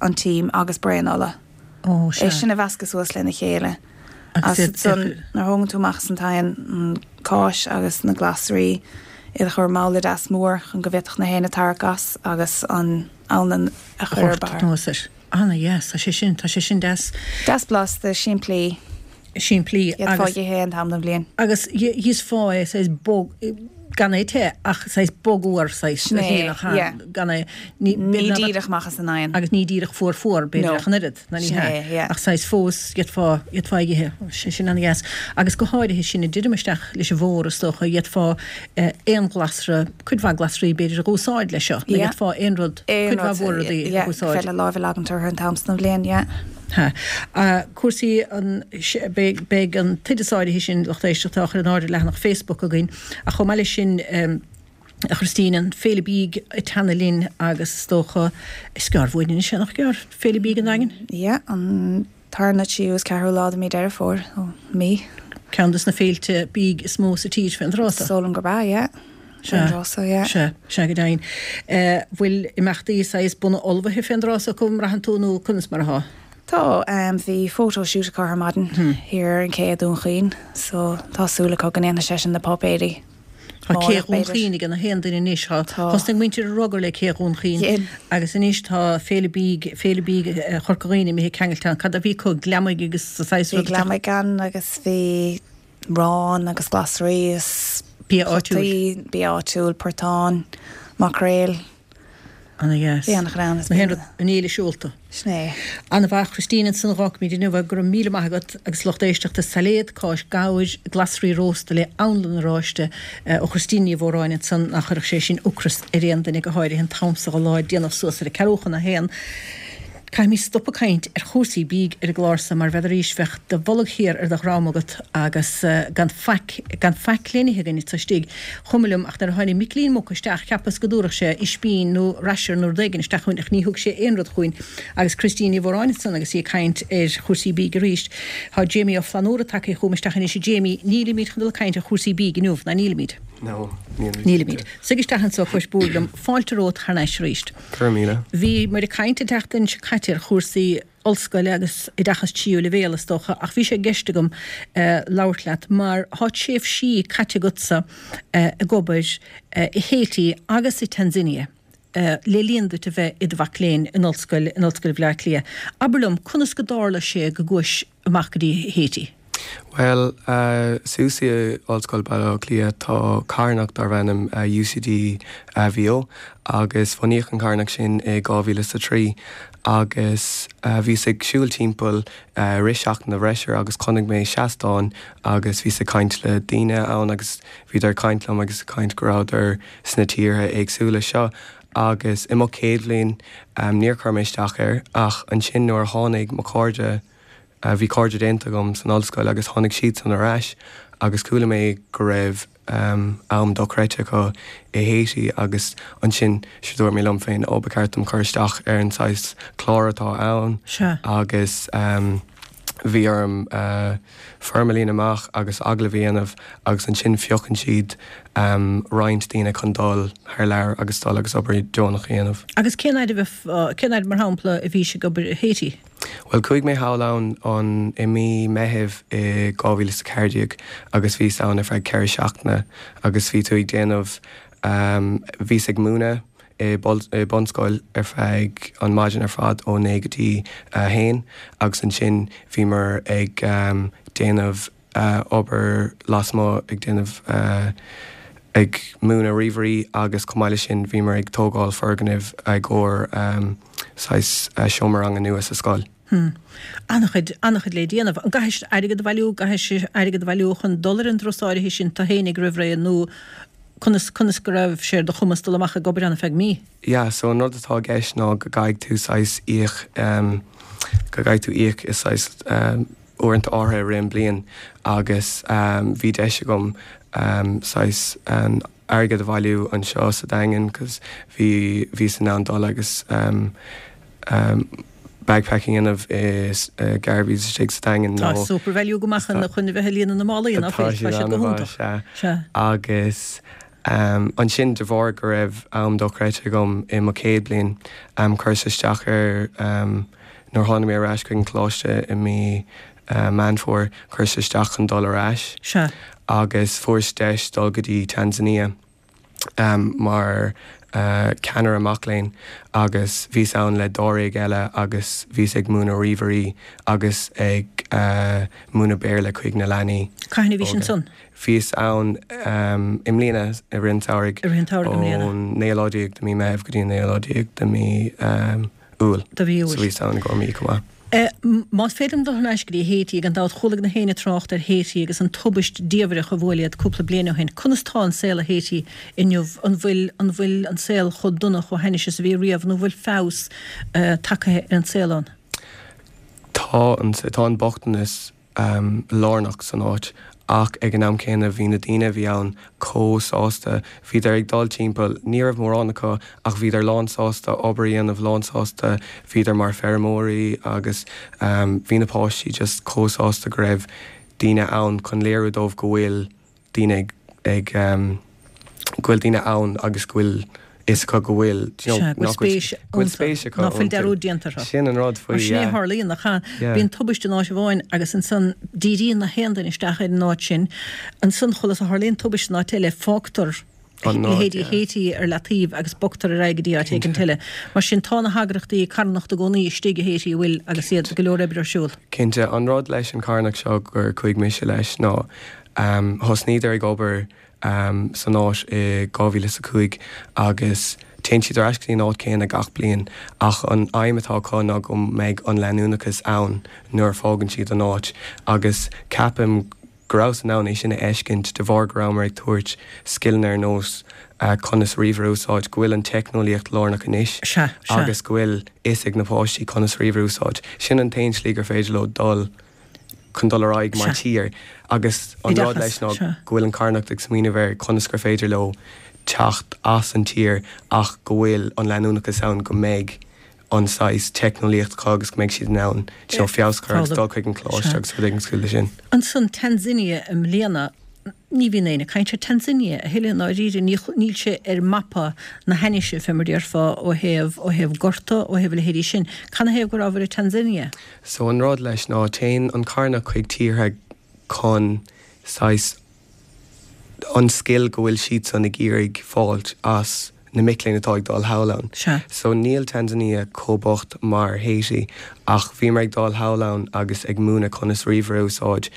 an tím agus braon ola. Ó, sea. É sin a mheascadh suas lena chéile. Agus ansan nuair a thógann tú amach as an t-oigheann an cáis agus na glasraí, iad a chur i mbabhla deas mór chun go bhféadfadh na héinne tarrac as agus an anlann a chur ar barr. Anuas air. Ana-dheas, tá sé sin, tá sé sin deas. Deas blasta, simplí. Simplí agus. D'fhéadfá a dh'ithe aon t-am den bhliain. Agus d'íosfá é, saghas bog. Gan é te ach saghas bogfhuar saghas Sin é, yeah. Gan é, ní, Ní díreach amach as an oigheann. Agus ní díreach fuar fuar, b'fhéidir No. ach an oiread, ná ní Sin hea. é, yeah. Ach saghas fós, d'fhéadfá, d'fhéadfá ag ithe. Sé sin an-dheas. Agus go háirithe sin ag druidim isteach leis an bhfómhar is dócha, d'fhéadfá aon ghlasra, cuid mhaith glasraí b'fhéidir a dh'úsáid leis seo. Nó Yeah. d'fhéadfá aon rud, Aon cuid mhaith rud, mhór rudaí a yeah, dh'úsáid. féidir láimh a leagaint orthu an t-am san den bhliain, yeah. Ha. Cúrsaí an, beidh, beidh an t-oideas áirithe sin, lucht éisteachta, á chur in airde ar leathanach Facebook againn, ach chomh maith leis sin, a Christine, an Féile Bídh ag teannadh linn agus is dócha, is gearr uainn anois é, nach gearr? Féile Bídh an Daingin? Yeah, an tarna, tríú is ceathrú lá de mí Deireadh Fómhair, ó mí. Ceann des na féilte bídh is mó sa tír fén dtráth so. Is dóigh liom gurb ea, yeah. Fén dtráth so, yeah. Sea, sea go deimhin. Bhfuil imeachtaí saghas bunaidh ullmhaithe fén dtráth so acu, an mbraitheann tú, nó conas mar athá? Tá, bhí photo shoot acu ar maidin thiar ar an ché i Dún Chaoin, so tá súil acu go ndéanfaidh sé sin na páipéirí. Tá Cé Dhún Chaoin ag gach aon duine anois. Tá. Thosnaigh muintir an Rugair le Cé Dhún Chaoin agus anois tá Féile Bídh, Féile Bídh Chorca Dhuibhne imithe ceangailte ann. Cad a bhí acu? Gliomaigh agus saghas rud. Bhí gliomaigh ann agus bhí arán agus glasraí is Bia áitiúil. Bia áitiúil, portán, maicréil. Ana dheas. Bhí an-chraic ann. Na haon rud, an fhéile seolta. Sin é. Ana mhaith, Christine, ansan a dh'fhágfaimid inniu é. Go raibh míle maith agat agus lucht éisteachta, sailéad cáis gabhair, glasraí rósta le anlann oráiste ó Christine Ní Mhóráin ansan, nach chuirfeadh sé sin ocras ar aon duine, go háirithe an t-am so dho lá, déanamh suas ar a ceathrú chun a haon. Caithfimid stop ag caint ar chúrsaí bídh ar an gclár so mar bheadh arís bheadh do bholg thiar ar do dhrom agat agus gan faic, gan faic le n-ithe againn anso istigh. Chuma liom ach nuair a tháinig Micilín Muc isteach cheapas go dtabharfadh sé ispín nó rasher nó rud éigin isteach chugainn ach ní thug sé aon rud chugainn. Agus Christine Ní Mhóráin ansan agus í ag caint ar chúrsaí bídh arís. Tá Jamie Ó Flannúra tagtha chugam isteach anois. A Jamie, nílimid chun dul ag caint ar chúrsaí bídh inniu, ná nílimid? No, nílimid. Nílimid. Suigh isteach anso cois búird liom. Fáilte romhat thar n-ais arís. Go raibh míle. Bhí muid ag caint an tseachtain seo caite ar chúrsaí ollscoile agus oideachas tríú leibhéal is dócha ach bhí sé i gceist agam labhairt leat mar tá tréimhsí caite agatsa ag obair i Haiti agus i Tanzania le linn duit a bheith i do mhac léinn in ollscoil in Ollscoil Bhaile Átha Cliath. Abair liom, conas go dtarla sé go gcuais amach go dtí Haiti? Bhuel, suas i Ollscoil Baile Átha Cliath tá carthanacht darb ainm UCD VO agus bhunaíodh an carthanacht sin i 2003 agus bhíos ag siúl timpeall i rith Seachtain na bhFreisear agus chonaic mé seastán agus bhíos ag caint le daoine ann agus bhíodar ag caint liom agus ag caint go rabhadar sna tíortha éagsúla seo agus i mo chéad bhliain níor chuir mé isteach air ach ansin nuair a tháinig mo chairde Bhí cairde déanta agam san ollscoil agus tháinig siadsan ar ais agus chuala mé go raibh am dochreidte acu i Haiti agus ansin sure dúirt mé liom féin ó ba cheart dom cur isteach ar an saghas clár atá ann agus bhí orm foirm a líonadh amach agus agallamh a dhéanamh agus ansin phiocann siad roinnt daoine chun dul thar lear agus dul agus obair deonach a dhéanamh. Agus cén fhaid a bheith, cén fhaid mar shampla a bhís ag obair i Haiti? Bhuel, chuaigh mé thall ann an i mí Meithimh i 2014 agus bhíos ann ar feadh 4 seachtaine agus bhí tú ag déanamh, bhíos ag múineadh i bunscoil ar feadh an maidin ar fad ó 9 go dtí 1 agus ansin bhíomar ag déanamh obair lasmuigh ag déanamh ag múineadh ríomhairí agus chomh maith leis sin bhíomar ag tógáil foirgnimh i gcomhair saghas seomra ranga nua sa scoil. Hm. An-chuid, an-chuid le déanamh. An gcaithfidh siad airgead a bhailiú, gcaithfidh siad airgead a bhailiú chun dul ar an dturas áirithe sin tú fhéinig roimh ré nó conas, conas go raibh sé ar do chumas dul amach ag obair ann ar feadh mí? Yeah, so an rud atá i gceist ná go gcaithfidh tú saghas íoc, go gcaithfidh tú íoc i saghas, uaireanta áirithe i rith an bliain agus bhí deis agam saghas airgead a bhailiú anseo sa Daingean cos bhí bhíos in ann dul agus bagpacking a dhéanamh i Garveys istigh sa Daingean nó Tá SuperValu go maith chun chun a bheith ag líonadh na málaí ná fuil? Tá siad go hiontach. Sea. Agus ansin de bharr go raibh am dochreidte agam i mo chéad bliain chuireas isteach ar Nuair a tháinig mé ar ais chuig an choláiste i mí Meán Fómhair, chuireas isteach chun dul ar ais Sea. agus fuaireas deis dul go dtí Tanzania mar. ceannaire mac léinn agus bhíos ann le dáréag eile agus bhíos ag múineadh ríomhairí agus ag múineadh Béarla chuig na leanaí Cathain a bhís óga. ansan? Bhíos ann i mbliana i rith an tsamhraidh. I rith an tsamhraidh i mbliana. Ón naoú lá déag de mí Meitheamh go dtí an naoú lá déag de mí Iúil. De mhí Iúil. So bhíos ann i gcomhair mí chomh maith. Más féidir liom dul thar n-ais go dtí Haiti, gan dabht chuala gach éinne trácht ar Haiti agus an tubaist diamhrach a bhuail iad cúpla bliain ó shin. Conas tá an saol i Haiti inniu? An bhfuil an bhfuil an saol chomh dona, chomh hainnis is a bhí riamh nó an bhfuil feabhas tagtha ar an saol ann? Tá an tá an bochtanas lárnach san áit ach ag an am céanna bhí na daoine a bhí ann chomh sásta, bhíodar ag dul timpeall, ní raibh mórán acu ach bhíodar lán sásta obair a dhéanamh, lán sásta, bhíodar mar feirmeoirí agus bhí na páistí just chomh sásta go raibh daoine ann chun léiriú dóibh go bhfuil daoine ag, go bhfuil daoine ann agus go bhfuil fhios acu go bhfuil, do you know, Sea, go bhfuil spéis go bhfuil spéis acu ná fuil dearúd déanta orthu. Sin an rud faoi, Mar sin é a yeah. tharlaíonn, nach ea? Yeah. Bíonn tubaiste in áit amháin agus ansan díríonn na haon duine isteach ar an áit sin. Ansan, chuile is a tharlaíonn tubaiste in áit eile, fágtar An áit, leithéidí yeah. Haiti ar leataobh agus bogtar ar aghaidh go dtí áit éigint Cinnte. eile. Mar sin, tá na heagraíochtaí carthanachta i gcónaí istigh i Haiti, an bhfuil, agus iad, go leor oibre ar siúl. Cinnte. An rud leis an charthanacht seo gur chuaigh mise leis ná Thosnaíodar ag obair san áit i 2005 agus téann siad ar ais go dtí an áit céanna gach bliain ach an aidhm atá acu ná go mbeidh an leanúnachas ann nuair a fágann siad an áit agus ceapaim go rabhas in ann é sin a fheiscint de bharr go rabhamar ag tabhairt scileanna ar nós conas ríomhaire a úsáid, go bhfuil an teicneolaíocht lárnach anois agus go bhfuil fhios ag na páistí conas ríomhaire a úsáid. Sin an t-aon slí gur féidir leo dul chun dul ar aghaidh mar tír agus an rud leis ná go bhfuil an carthanacht ag smaoineamh ar conas gur féidir leo teacht as an tír ach go bhfuil an leanúnachas ann go mbeidh an saghas teicneolaíocht acu agus go mbeidh siad in ann you know feabhas a chur agus dul chuig an choláiste agus rud éigin cosúil leis sin. Ansan Tanzania i mbliana, ní bhíonn éinne ag caint ar Tanzania a thuilleadh i ndáiríre, níl sé ar mapa na hainnise fé mar déarfá ó thaobh, ó thaobh gorta, ó thaobh a leithéidí sin. Canathaobh go rabhabhair i Tanzania? So an rud leis ná téann an carthanacht chuig tíortha chun saghas an scil go bhfuil siadsan ag iarraidh fáilt as na mic léinn atá ag dul thall ann. Sea. So níl Tanzania chomh bocht mar Haiti ach bhíomar ag dul thall ann agus ag múineadh conas ríomhaire a úsáid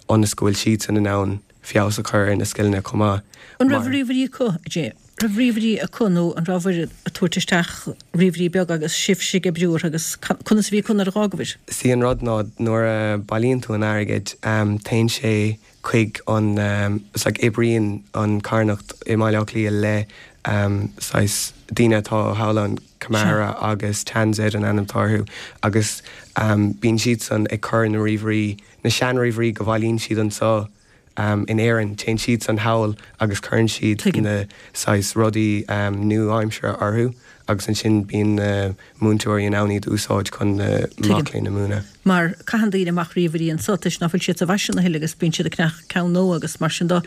ionas go bhfuil siadsan in ann feabhas a chur ar na scileanna chomh maith. An raibh ríomhairí acu, a Jay? Raibh ríomhairí acu nó an rabhabhair ag tabhairt isteach ríomhairí beaga agus sibhse ag oibriú orthu agus conas a bhí acu nuair a dh'fhágabhair? Sí an rud ná nuair a bailíonn tú an airgead téann sé chuig an it's like oibríonn an carthanacht i mBaile Átha Cliath le saghas daoine atá thall ann Camara agus TanzEd an ainm atá orthu agus bíonn siadsan ag cur na ríomhairí na seanríomhairí go bhailíonn siad anseo in Éirinn, téann siadsan thall agus cuireann siad na saghas rudaí nua-aimseartha orthu agus ansin bíonn na múinteoirí in ann iad a úsáid chun na mac léinn a mhúineadh. Mar caitheann daoine amach ríomhairí anseo toisc ná fuil siad sa bhfaisean a thuilleadh agus bíonn siad ag ceannach ceann nua agus mar sin de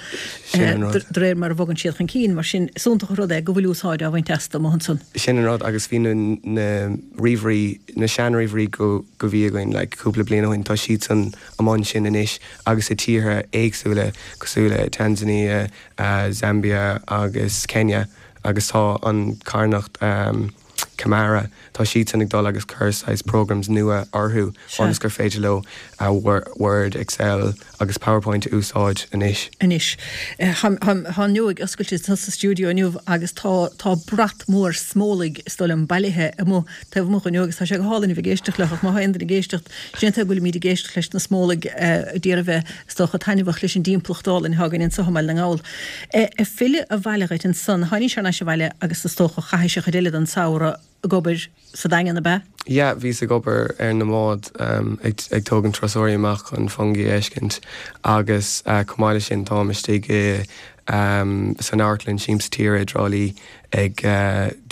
de réir mar a bhogann siad chun cinn. Mar sin is iontach an rud é go bhfuil úsáid á bhaint astu amuigh ansan. Sin an rud agus bhí na na ríomhairí, na seanríomhairí go go bhí againn like cúpla bliain ó shin, tá siadsan amuigh ansin anois agus i tíortha éagsúla cosúil le Tanzania, Zambia agus Kenya agus tá an carthanacht Camara, tá siadsan ag dul agus cur saghas programs nua orthu ionas gur féidir leo Word, Excel agus PowerPoint a úsáid anois. Anois. Tá an fhuinneog oscailte sa stiúideo inniu agus tá tá brat mór smólaigh is dóigh liom bailithe amuigh taobh amuigh inniu agus tá sé go hálainn a bheith ag éisteacht leo ach má tá aon duine ag éisteacht, sin é an tuige go bhfuilimid ag éisteacht leis na smólaigh d'iarraidh a bheith, is dócha, taitneamhach leis an dtimpeallacht álainn atá againn anseo i mBaile na nGall. Ag filleadh abhaile dhuit ansan, tháinís thar n-ais abhaile agus is dócha chaithis an chuid eile den samhradh ag obair sa Daingean, ab ea? Yeah, bhíos ag obair ar na mbád ag ag tógaint turasóirí amach chun fungi a fheiscint agus chomh maith leis sin táim istigh i san amharclann Siamsa Tíre i dTrá Lí ag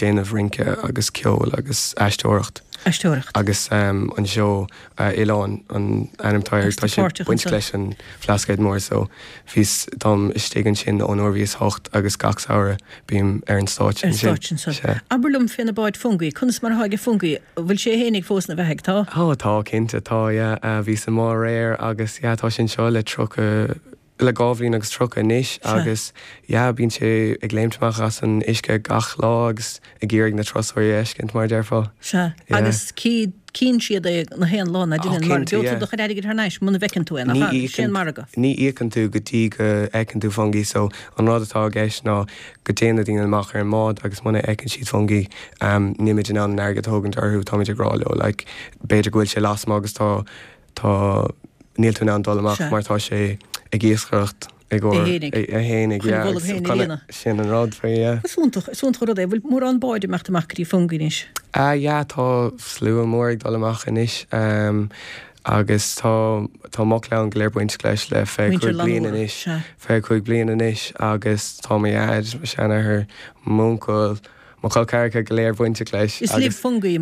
déanamh rince agus ceol agus aisteoireacht. Aisteoireacht. Agus an seó Oileán an ainm atá air, tá sé bainteach leis an Bhlascaod Mór so bhíos, táim istigh ansin ón uair bhíos hocht agus gach samhradh bím ar an stáitse ansin. Ar an stáitse ansan. Sea. Abair liom fé na báid fungi, conas mar atá ag fungi, an bhfuil sé fhéinig fós ina bheathaidh, tá? Ó tá, cinnte, tá, yeah. Bhíos i mbád aréir agus yeah tá sé anseo le 30. le 2 bhliain agus 30 anois agus yeah bíonn sé ag léimt amach as an uisce gach lá agus ag iarraidh na turasóirí a fheiscint mar a déarfá. Sea, agus cíonn siad é na haon lá ná deineann, mar gheobhaidh tú do chuid airgid thar n-ais muna bhfeiceann tú é, nach ea? Sin an margadh. Ní íocann tú go dtí go bhfeiceann tú Fungie so an rud atá i gceist ná go dtéann na daoine amach ar an mbád agus muna fheiceann siad Fungie nílimid in ann an airgead a thógaint orthu, táimid ag rá leo like b'fhéidir go bhfuil sé lasmuigh agus tá tá níl tú in ann dul amach mar tá sé ag iascaireacht i gcomhair é fhéinig yeah agus kind of sin an rud faoi yeah. Is iontach, is iontach an rud é. Bhfuil mórán báid ag imeacht amach go dtí Fungie anois? Ah yeah tá slua mór ag dul amach anois ehm agus tá tá mo chlann go léir bainteach leis le 25 bliain anois, 25 bliain anois agus tá mo dhaid, mo sheanathair, m'uncail, Mo chol ceathracha go léir bainteach leis Is libh Fungie.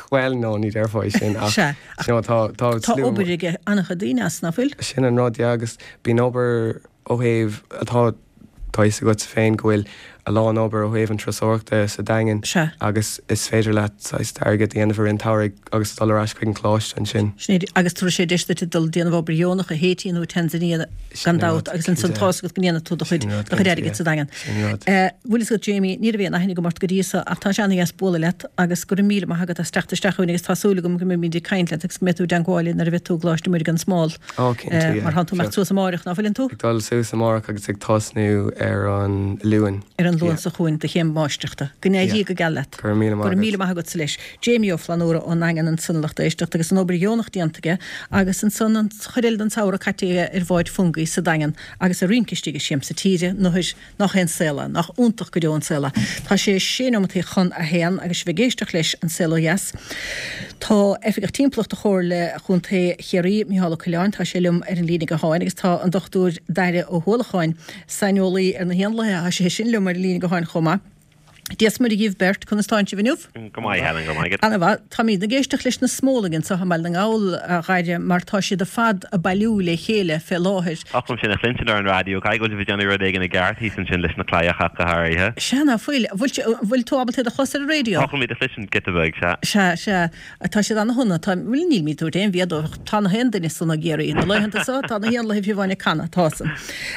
Bhuel, no, ní déarfá é sin ach Sea, ach you know, tá, tá tá slua obair ag an-chuid daoine as, nach bhfuil? Sin an rud, yeah, agus bíonn obair ó thaobh, tá, tá fhios agatsa féin go bhfuil a lán obair ó thaobh an turasóireachta sa Daingean Sea. agus is féidir leat saghas d'airgead a dhéanamh i rith an tsamhraidh agus dul ar ais chuig an choláiste ansin. Sin é, agus tabharfaidh sé deis duit dul déanamh obair dheonach i Haiti nó i Tanzania gan dabht agus ansan tá's agat go ndéanfaidh tú do chuid, do chuid airgid sa Daingean. Sin rud. Bhfuil fhios agat Jamie, ní raibh aon aithne agam ort go dtí so ach tá sé ana-dheas bualadh leat agus go raibh míle maith agat as teacht isteach chugainn agus tá súil agam go mbeimid ag caint leat agus go mbeidh tú i dteangmháil linn nuair a bheidh tú i gColáiste Muire gan Smál. Ó, cinnte, yeah. Mar tánn tú ag imeacht suas amáireach, ná fuileann tú? Ag dul suas amárach agus ag tosnú ar an Luan. Ar an Luan seo chugainn do chéim mháistreachta. Go n-éirí go geal leat. Go raibh míle maith agat. Go raibh míle maith agatsa leis. Jamie Ó Flannúra ón nDaingean ansan a lucht éisteachta agus an obair dheonach déanta aige agus ansan an chuid eile den tsamhradh caite aige ar bhád Fungie sa Daingean agus ag rince istigh ag Siamsa Tíre, nuair nach é an saol é, nach iontach go deo an saol é. Tá sé sé neomataí chun a haon agus sibh ag éisteacht leis An Saol Ó Dheas. Tá Oifigeach Timpeallachta Chomhairle Chontae Chiarraí, Micheál Ó Coileáin, tá sé liom ar an líne gutháin agus tá an Dr Daire Ó hUallacháin, saineolaí ar na héanlaithe, tá sé sin liom ar an líne gutháin chomh maith. Dia 's Muire dhíbh beirt, conas tánn sibh inniu? Go maith, Helen, go raibh maith agat. Ana-mhaith. Táimid ag éisteacht leis na smólaigh anseo i mBaile na nGall, a Dhaire, mar tá siad ar fad ag bailiú le chéile fé láthair. Oth liom sin a chluinstin ar an raidió, caithfidh go bhfuil sibh ag déanamh rud éigin i gceart thíos ansin leis na claíocha ach go háirithe. Sea, ná fuil. Bhfuil tú ábalta iad a chlos ar an raidió? Tá chun iad a chluinstin giota beag, sea. Sea, sea. Tá siad ana-shona. Tá, bhuel, nílimid ag tabhairt aon bhia dóibh ach tá na haon duine sona i gCiarraí. Na laethanta seo, tá na héanlaithe fiú amháin ag canadh, tá san.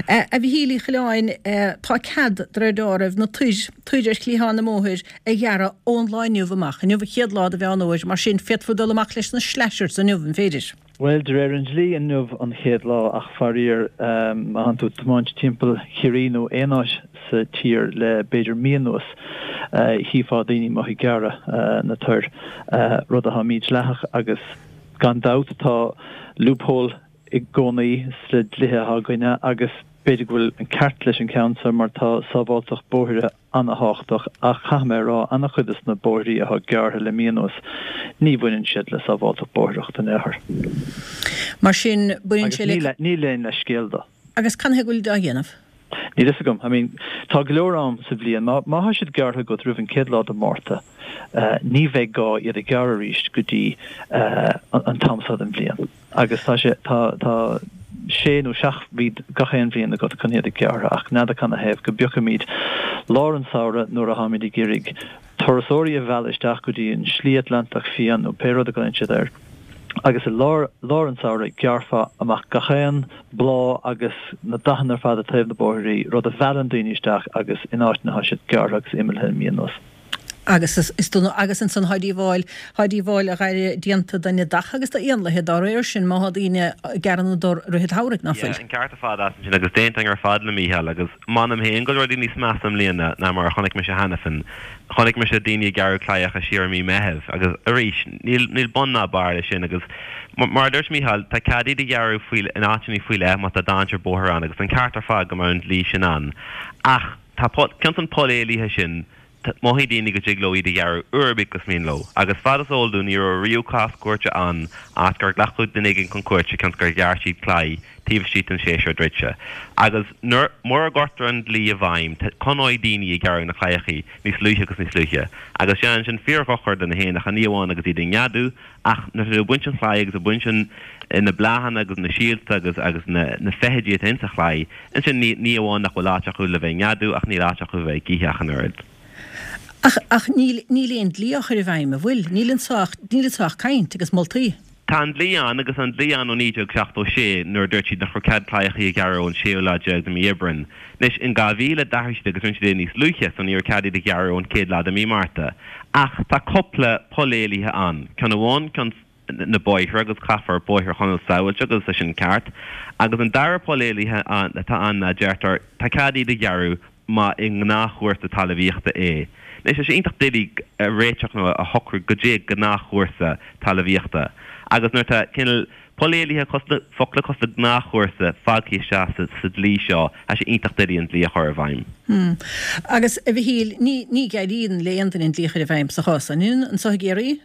A Mhichíl Uí Choileáin, tá cead, de réir dealraimh, na toir, toir ar chliathán na mbóithre a ghearradh ón lá inniu amach. Inniu an chéad lá de Mheán Fhómhair, mar sin féadfar dul amach leis na slashers inniu, an féidir? Bhuel, de réir an dlí, inniu an chéad lá, ach faraor, má thánn tú ag tiomáint timpeall Chiarraí nó aon áit sa tír le b'fhéidir mí anuas, chífeá daoine amuigh ag gearradh na toir, rud atá mídhleathach agus gan dabht tá loophole i gcónaí sna dlíthe atá againne agus b'fhéidir go bhfuil an ceart leis an ceann seo mar tá sábháilteacht bóithre ana-thábhachtach ach caithfidh mé a rá ana-chuid des na bóithrí atá gearrtha le mí anuas ní bhaineann siad le sábháilteacht bóithreach in aon chor. Mar sin baineann sé le. Agus níl aon leithscéal dó. Agus canathaobh go bhfuil á dhéanamh? Níl fhios agam. I mean, tá go leor am sa bhliain. Má má thá siad gearrtha agat roimh an chéad lá de Mhárta, ní bheidh gá iad a ghearradh arís go dtí an t-am seo den bhliain. Agus tá sé, tá, tá sé nó seacht mhí gach aon bhliain agat chun iad a ghearradh ach n'fheadar canathaobh go bpiocfaimid lár an samhradh nuair a tháimid ag iarraidh turasóirí a mhealladh isteach go dtí an Slí Atlantach Fiáin nó pé rud a ghlaonn siad air agus i lár, lár an tsamhraidh gearrfá amach gach aon bláth agus na dathanna ar fad ag taobh na bóithrí, rud a mheallann daoine isteach agus in áiteanna tá siad gearrtha agus imithe le mí anuas. Agus is dona, agus ansan thá díobháil, thá díobháil a Dhaire déanta do neadacha agus do éanlaithe dá réir sin má thá daoine ag gearradh na dtor i rith an tsamhraidh, ná fuil? Yeah, an ceart ar fad agat ansin agus d'aontóinn ar fad le Mícheál agus m'anam féin go bhfuil rudaí níos measa i mbliana ná mar a chonaic mise cheana féin. Chonaic mise daoine ag gearradh claíocha siar i mí Meithimh agus arís níl, níl bun ná barr leis sin agus mar a dúirt Mícheál tá cead iad a ghearradh faoi, in áiteanna faoi leith má tá dainséar bóthair ann agus an ceart ar fad go mbeadh an dlí sin ann ach tá cionn is an poll éalaithe sin Mothaíonn daoine go dtig leo iad a ghearradh uair ar bith gus mian leo, agus fad is eol dúinn ní raibh riamh cás cúirte ann áit gur glacadh duine éigin chun cúirte cionn is gur ghearr siad claí taobh istigh den séasúr druidte. Agus nuair, mura gcuirtear an dlí i bhfeidhm, coinneoidh daoine ag gearradh na claíochaí níos luaithe agus níos luaithe. Agus déanann sin fíor-dhochar do na héanacha, ní amháin agus iad ag neadú, ach nuair atá tú ag baint an chlaí agus ag baint an, na bláthanna agus na síolta agus, agus na, na feithidí atá insa chlaí, ansin ní, ní amháin nach bhfuil áit acu le bheith ag neadú ach níl áit acu a bheith ag ithe ach an oiread. Ach, ach níl, níl aon dlí á chur i bhfeidhm, an bhfuil? Níl anso ach, níl anso ach caint agus moltaí. Tá an dlí ann agus an dlí ann ó 1976 nuair a dúirt siad nach raibh cead claíochaí a ghearradh ón séú lá déag de mí Aibreáin. Anois, in 2000 d'athraigh siad agus rinne siad é níos luaithe so ní raibh cead iad a ghearradh ón chéad lá de mí Márta. Ach tá cúpla poll éalaithe ann. Ceann amháin, ceann na bóithre agus caithfear bóithre a choinneáil sábháilte agus tá sin ceart. Agus an dara poll éalaithe atá ann ná deirtear tá cead iad a ghearradh má i ngnáthchúrsa talmhaíochta é. Anois, tá sé iontach doiligh a réiteach nó a shocrú goidé gnáthchúrsa talmhaíochta. Agus nuair atá cineál poll éalaithe cosúil le focla cosúil le gnáthchúrsa fágtha isteach sa dlí seo, tá sé iontach doiligh an dlí a chur i bhfeidhm. Hmm. Agus, a Mhichíl, ní, ní éiríonn le aon duine an dlí a chur i bhfeidhm sa chás san, an ionann, anso i gCiarraí?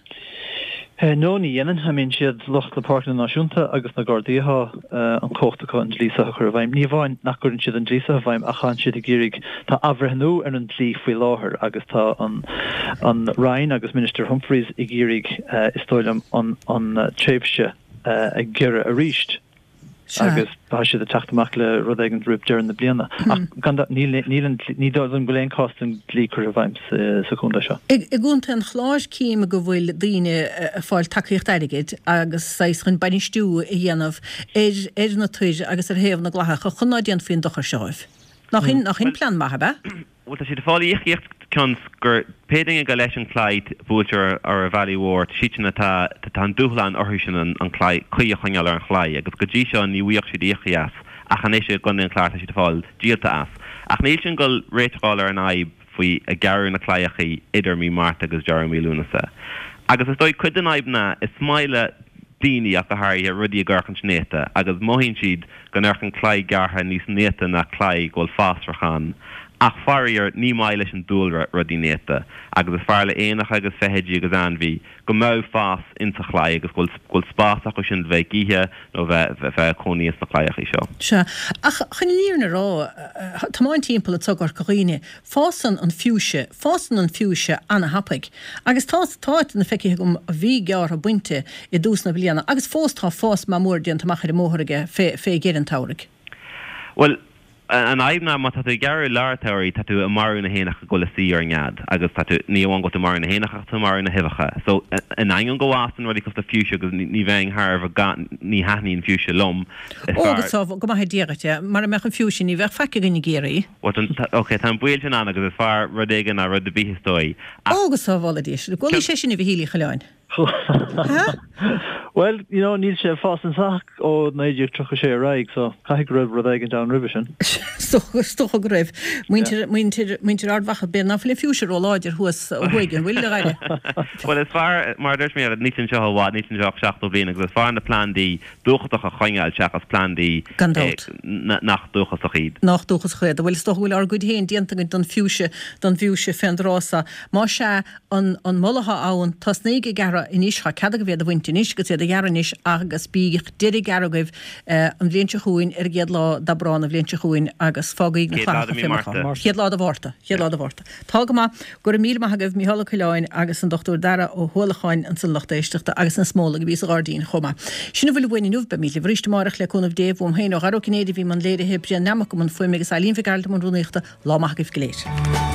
No, ní dhéanann. I mean, siad lucht na Páirceanna Náisiúnta agus na Gardaí atá an chumhacht acu an dlí seo a chur i bhfeidhm. Ní amháin nach gcuireann siad an dlí seo i bhfeidhm ach tá siad ag iarraidh, tá athbhreithniú ar an dlí faoi láthair agus tá an an Roinn agus Minister Humphreys ag iarraidh, is dóigh liom, an an tréimhse a ghiorrú arís. Sea. Agus tá siad ag teacht amach le rud éigin roimh deireadh na bliana. Ach gan dabht, níl, níl an, ní dóigh liom go bhfuil aon cás den dlí curtha i bhfeidhm sa chontae seo. I gContae an Chláir cím go bhfuil daoine ag fáil tacaíocht airgid agus saghas chun bainistiú a dhéanamh ar ar na toir agus ar thaobh na gclathacha chun ná déanfaí an dochar seo dhóibh. Nach in, nach in plean maith, ab ea? Bhuel, tá siad ag fáil íocaíocht cionn 's gur pé duine gur leis an claí buailtear ar an bhealaigh mhór, tá siadsan atá, tá an dúshlán orthu sin an claí, caoi a choinneáil ar an chlaí agus go dtí seo ní bhfaigheadh siad íoctha as ach anois i gContae an Chláir tá siad ag fáil díolta as. Ach níl sin ag dul réiteach a fháil ar an fhadhb faoi ag gearradh na claíochaí idir mí Márta agus deireadh mí Lúnasa. Agus is dóigh cuid den fhadhb ná is maith le daoine ach go háirithe rudaí ag amharcaint néata agus mothaíonn siad go n-amharcann claí gearrtha níos néata ná claí go bhfuil fásrach ann. Ach faraor, ní maith leis an dúlra rudaí néata agus is fearr le éanacha agus feithidí agus ainmhí go mbeadh fás insa chlaí agus go bhfuil spás acu sin bheith ag ithe nó bheith bheith ag cónaí ins na claíochaí seo. Sea, ach chun an fhírinne a rá, tiomáint timpeall anso i gCorca Dhuibhne, Fásann an fiúise, fásann an fiúise ana-thapaidh. Agus tá, tá áiteanna feicthe agam a bhí gearrtha bainte i dtús na bliana agus fós tá fás maith mór déanta amach ar an mbóthar aige fé, fé dheireadh an tsamhraidh. Bhuel, an fhadhb ná má tá tú ag gearradh i lár an tsamhraidh tá tú ag marú na héanacha go bhfuil ag suí ar an nead agus tá tú, ní amháin go bhfuil tú ag marú na héanacha ach tá tú ag marú na huibheacha. So, in ainneoin go bhfásann rudaí cosúil le fiúise agus ní bheinn thar a bheith gan, ní thaitníonn fiúise liom, is Ó, fearr. go, go maithe Dia dhuit é, mara mbeadh an fiúise ní bheadh faic againn i gCiarraí. Bhuel, tá, ok, tá an baol sin ann agus is fearr rud éigin ná rud ar bith is dóigh. Ach. Ó, go sábhála Dia sinn. An bhfuil sé sin a Mhichíl Uí Choileáin. Ha? Bhuel, you know, níl sé ag fás anseo ach ó 1936 ar aghaidh, so caithfidh go raibh rud éigin ann roimhe sin. Is dócha go raibh. Muintir, muintir, muintir Ard Mhacha, b'fhéidir ná fuil an fiúise ró-láidir thuas ó thuaidh, an bhfuil, a Dhaire? Bhuel, is fearr, mar a dúirt mé, níl sé anseo i bhfad, níl sé anseo ach 70 bliain agus is fearr na plandaí dúchasach a choinneáil seachas plandaí Gan dabht. nach dúchasach iad. Nach dúchasach iad. Bhuel, is dócha go bhfuil ár gcuid féin déanta againn don fhiúise, don bhfiúise fén dtráth so. Más ea, an, an moladh atá ann, tosnaíg ag gearradh anois, tá cead agaibh iad a bhaint anois agus iad a ghearradh anois agus bíodh deireadh gearradh agaibh an bhliain seo chugainn ar an gcéad lá d'Aibreán an bhliain seo chugainn agus fágaíg na Céad lá de clathacha mí fé mar atá. Márta. Chéad lá de Mhárta. Chéad lá de Mhárta. Tá go maith. Go raibh míle maith agaibh, Mícheál Ó Coileáin agus an Dr Dara Ó hUallacháin ansan lucht éisteachta agus na smólaigh a bhí sa ghairdín chomh maith. Sin a bhfuil uainn inniu, beimid libh arís amárach le cúnamh Dé. Uaim féin ó Dhara Ó Cinnéide a bhí i mbun léirithe, Brian Nammock i mbun fuaime agus Eileen Mhic Gearailt i mbun rúnaíochta. Lá maith agaibh go léir.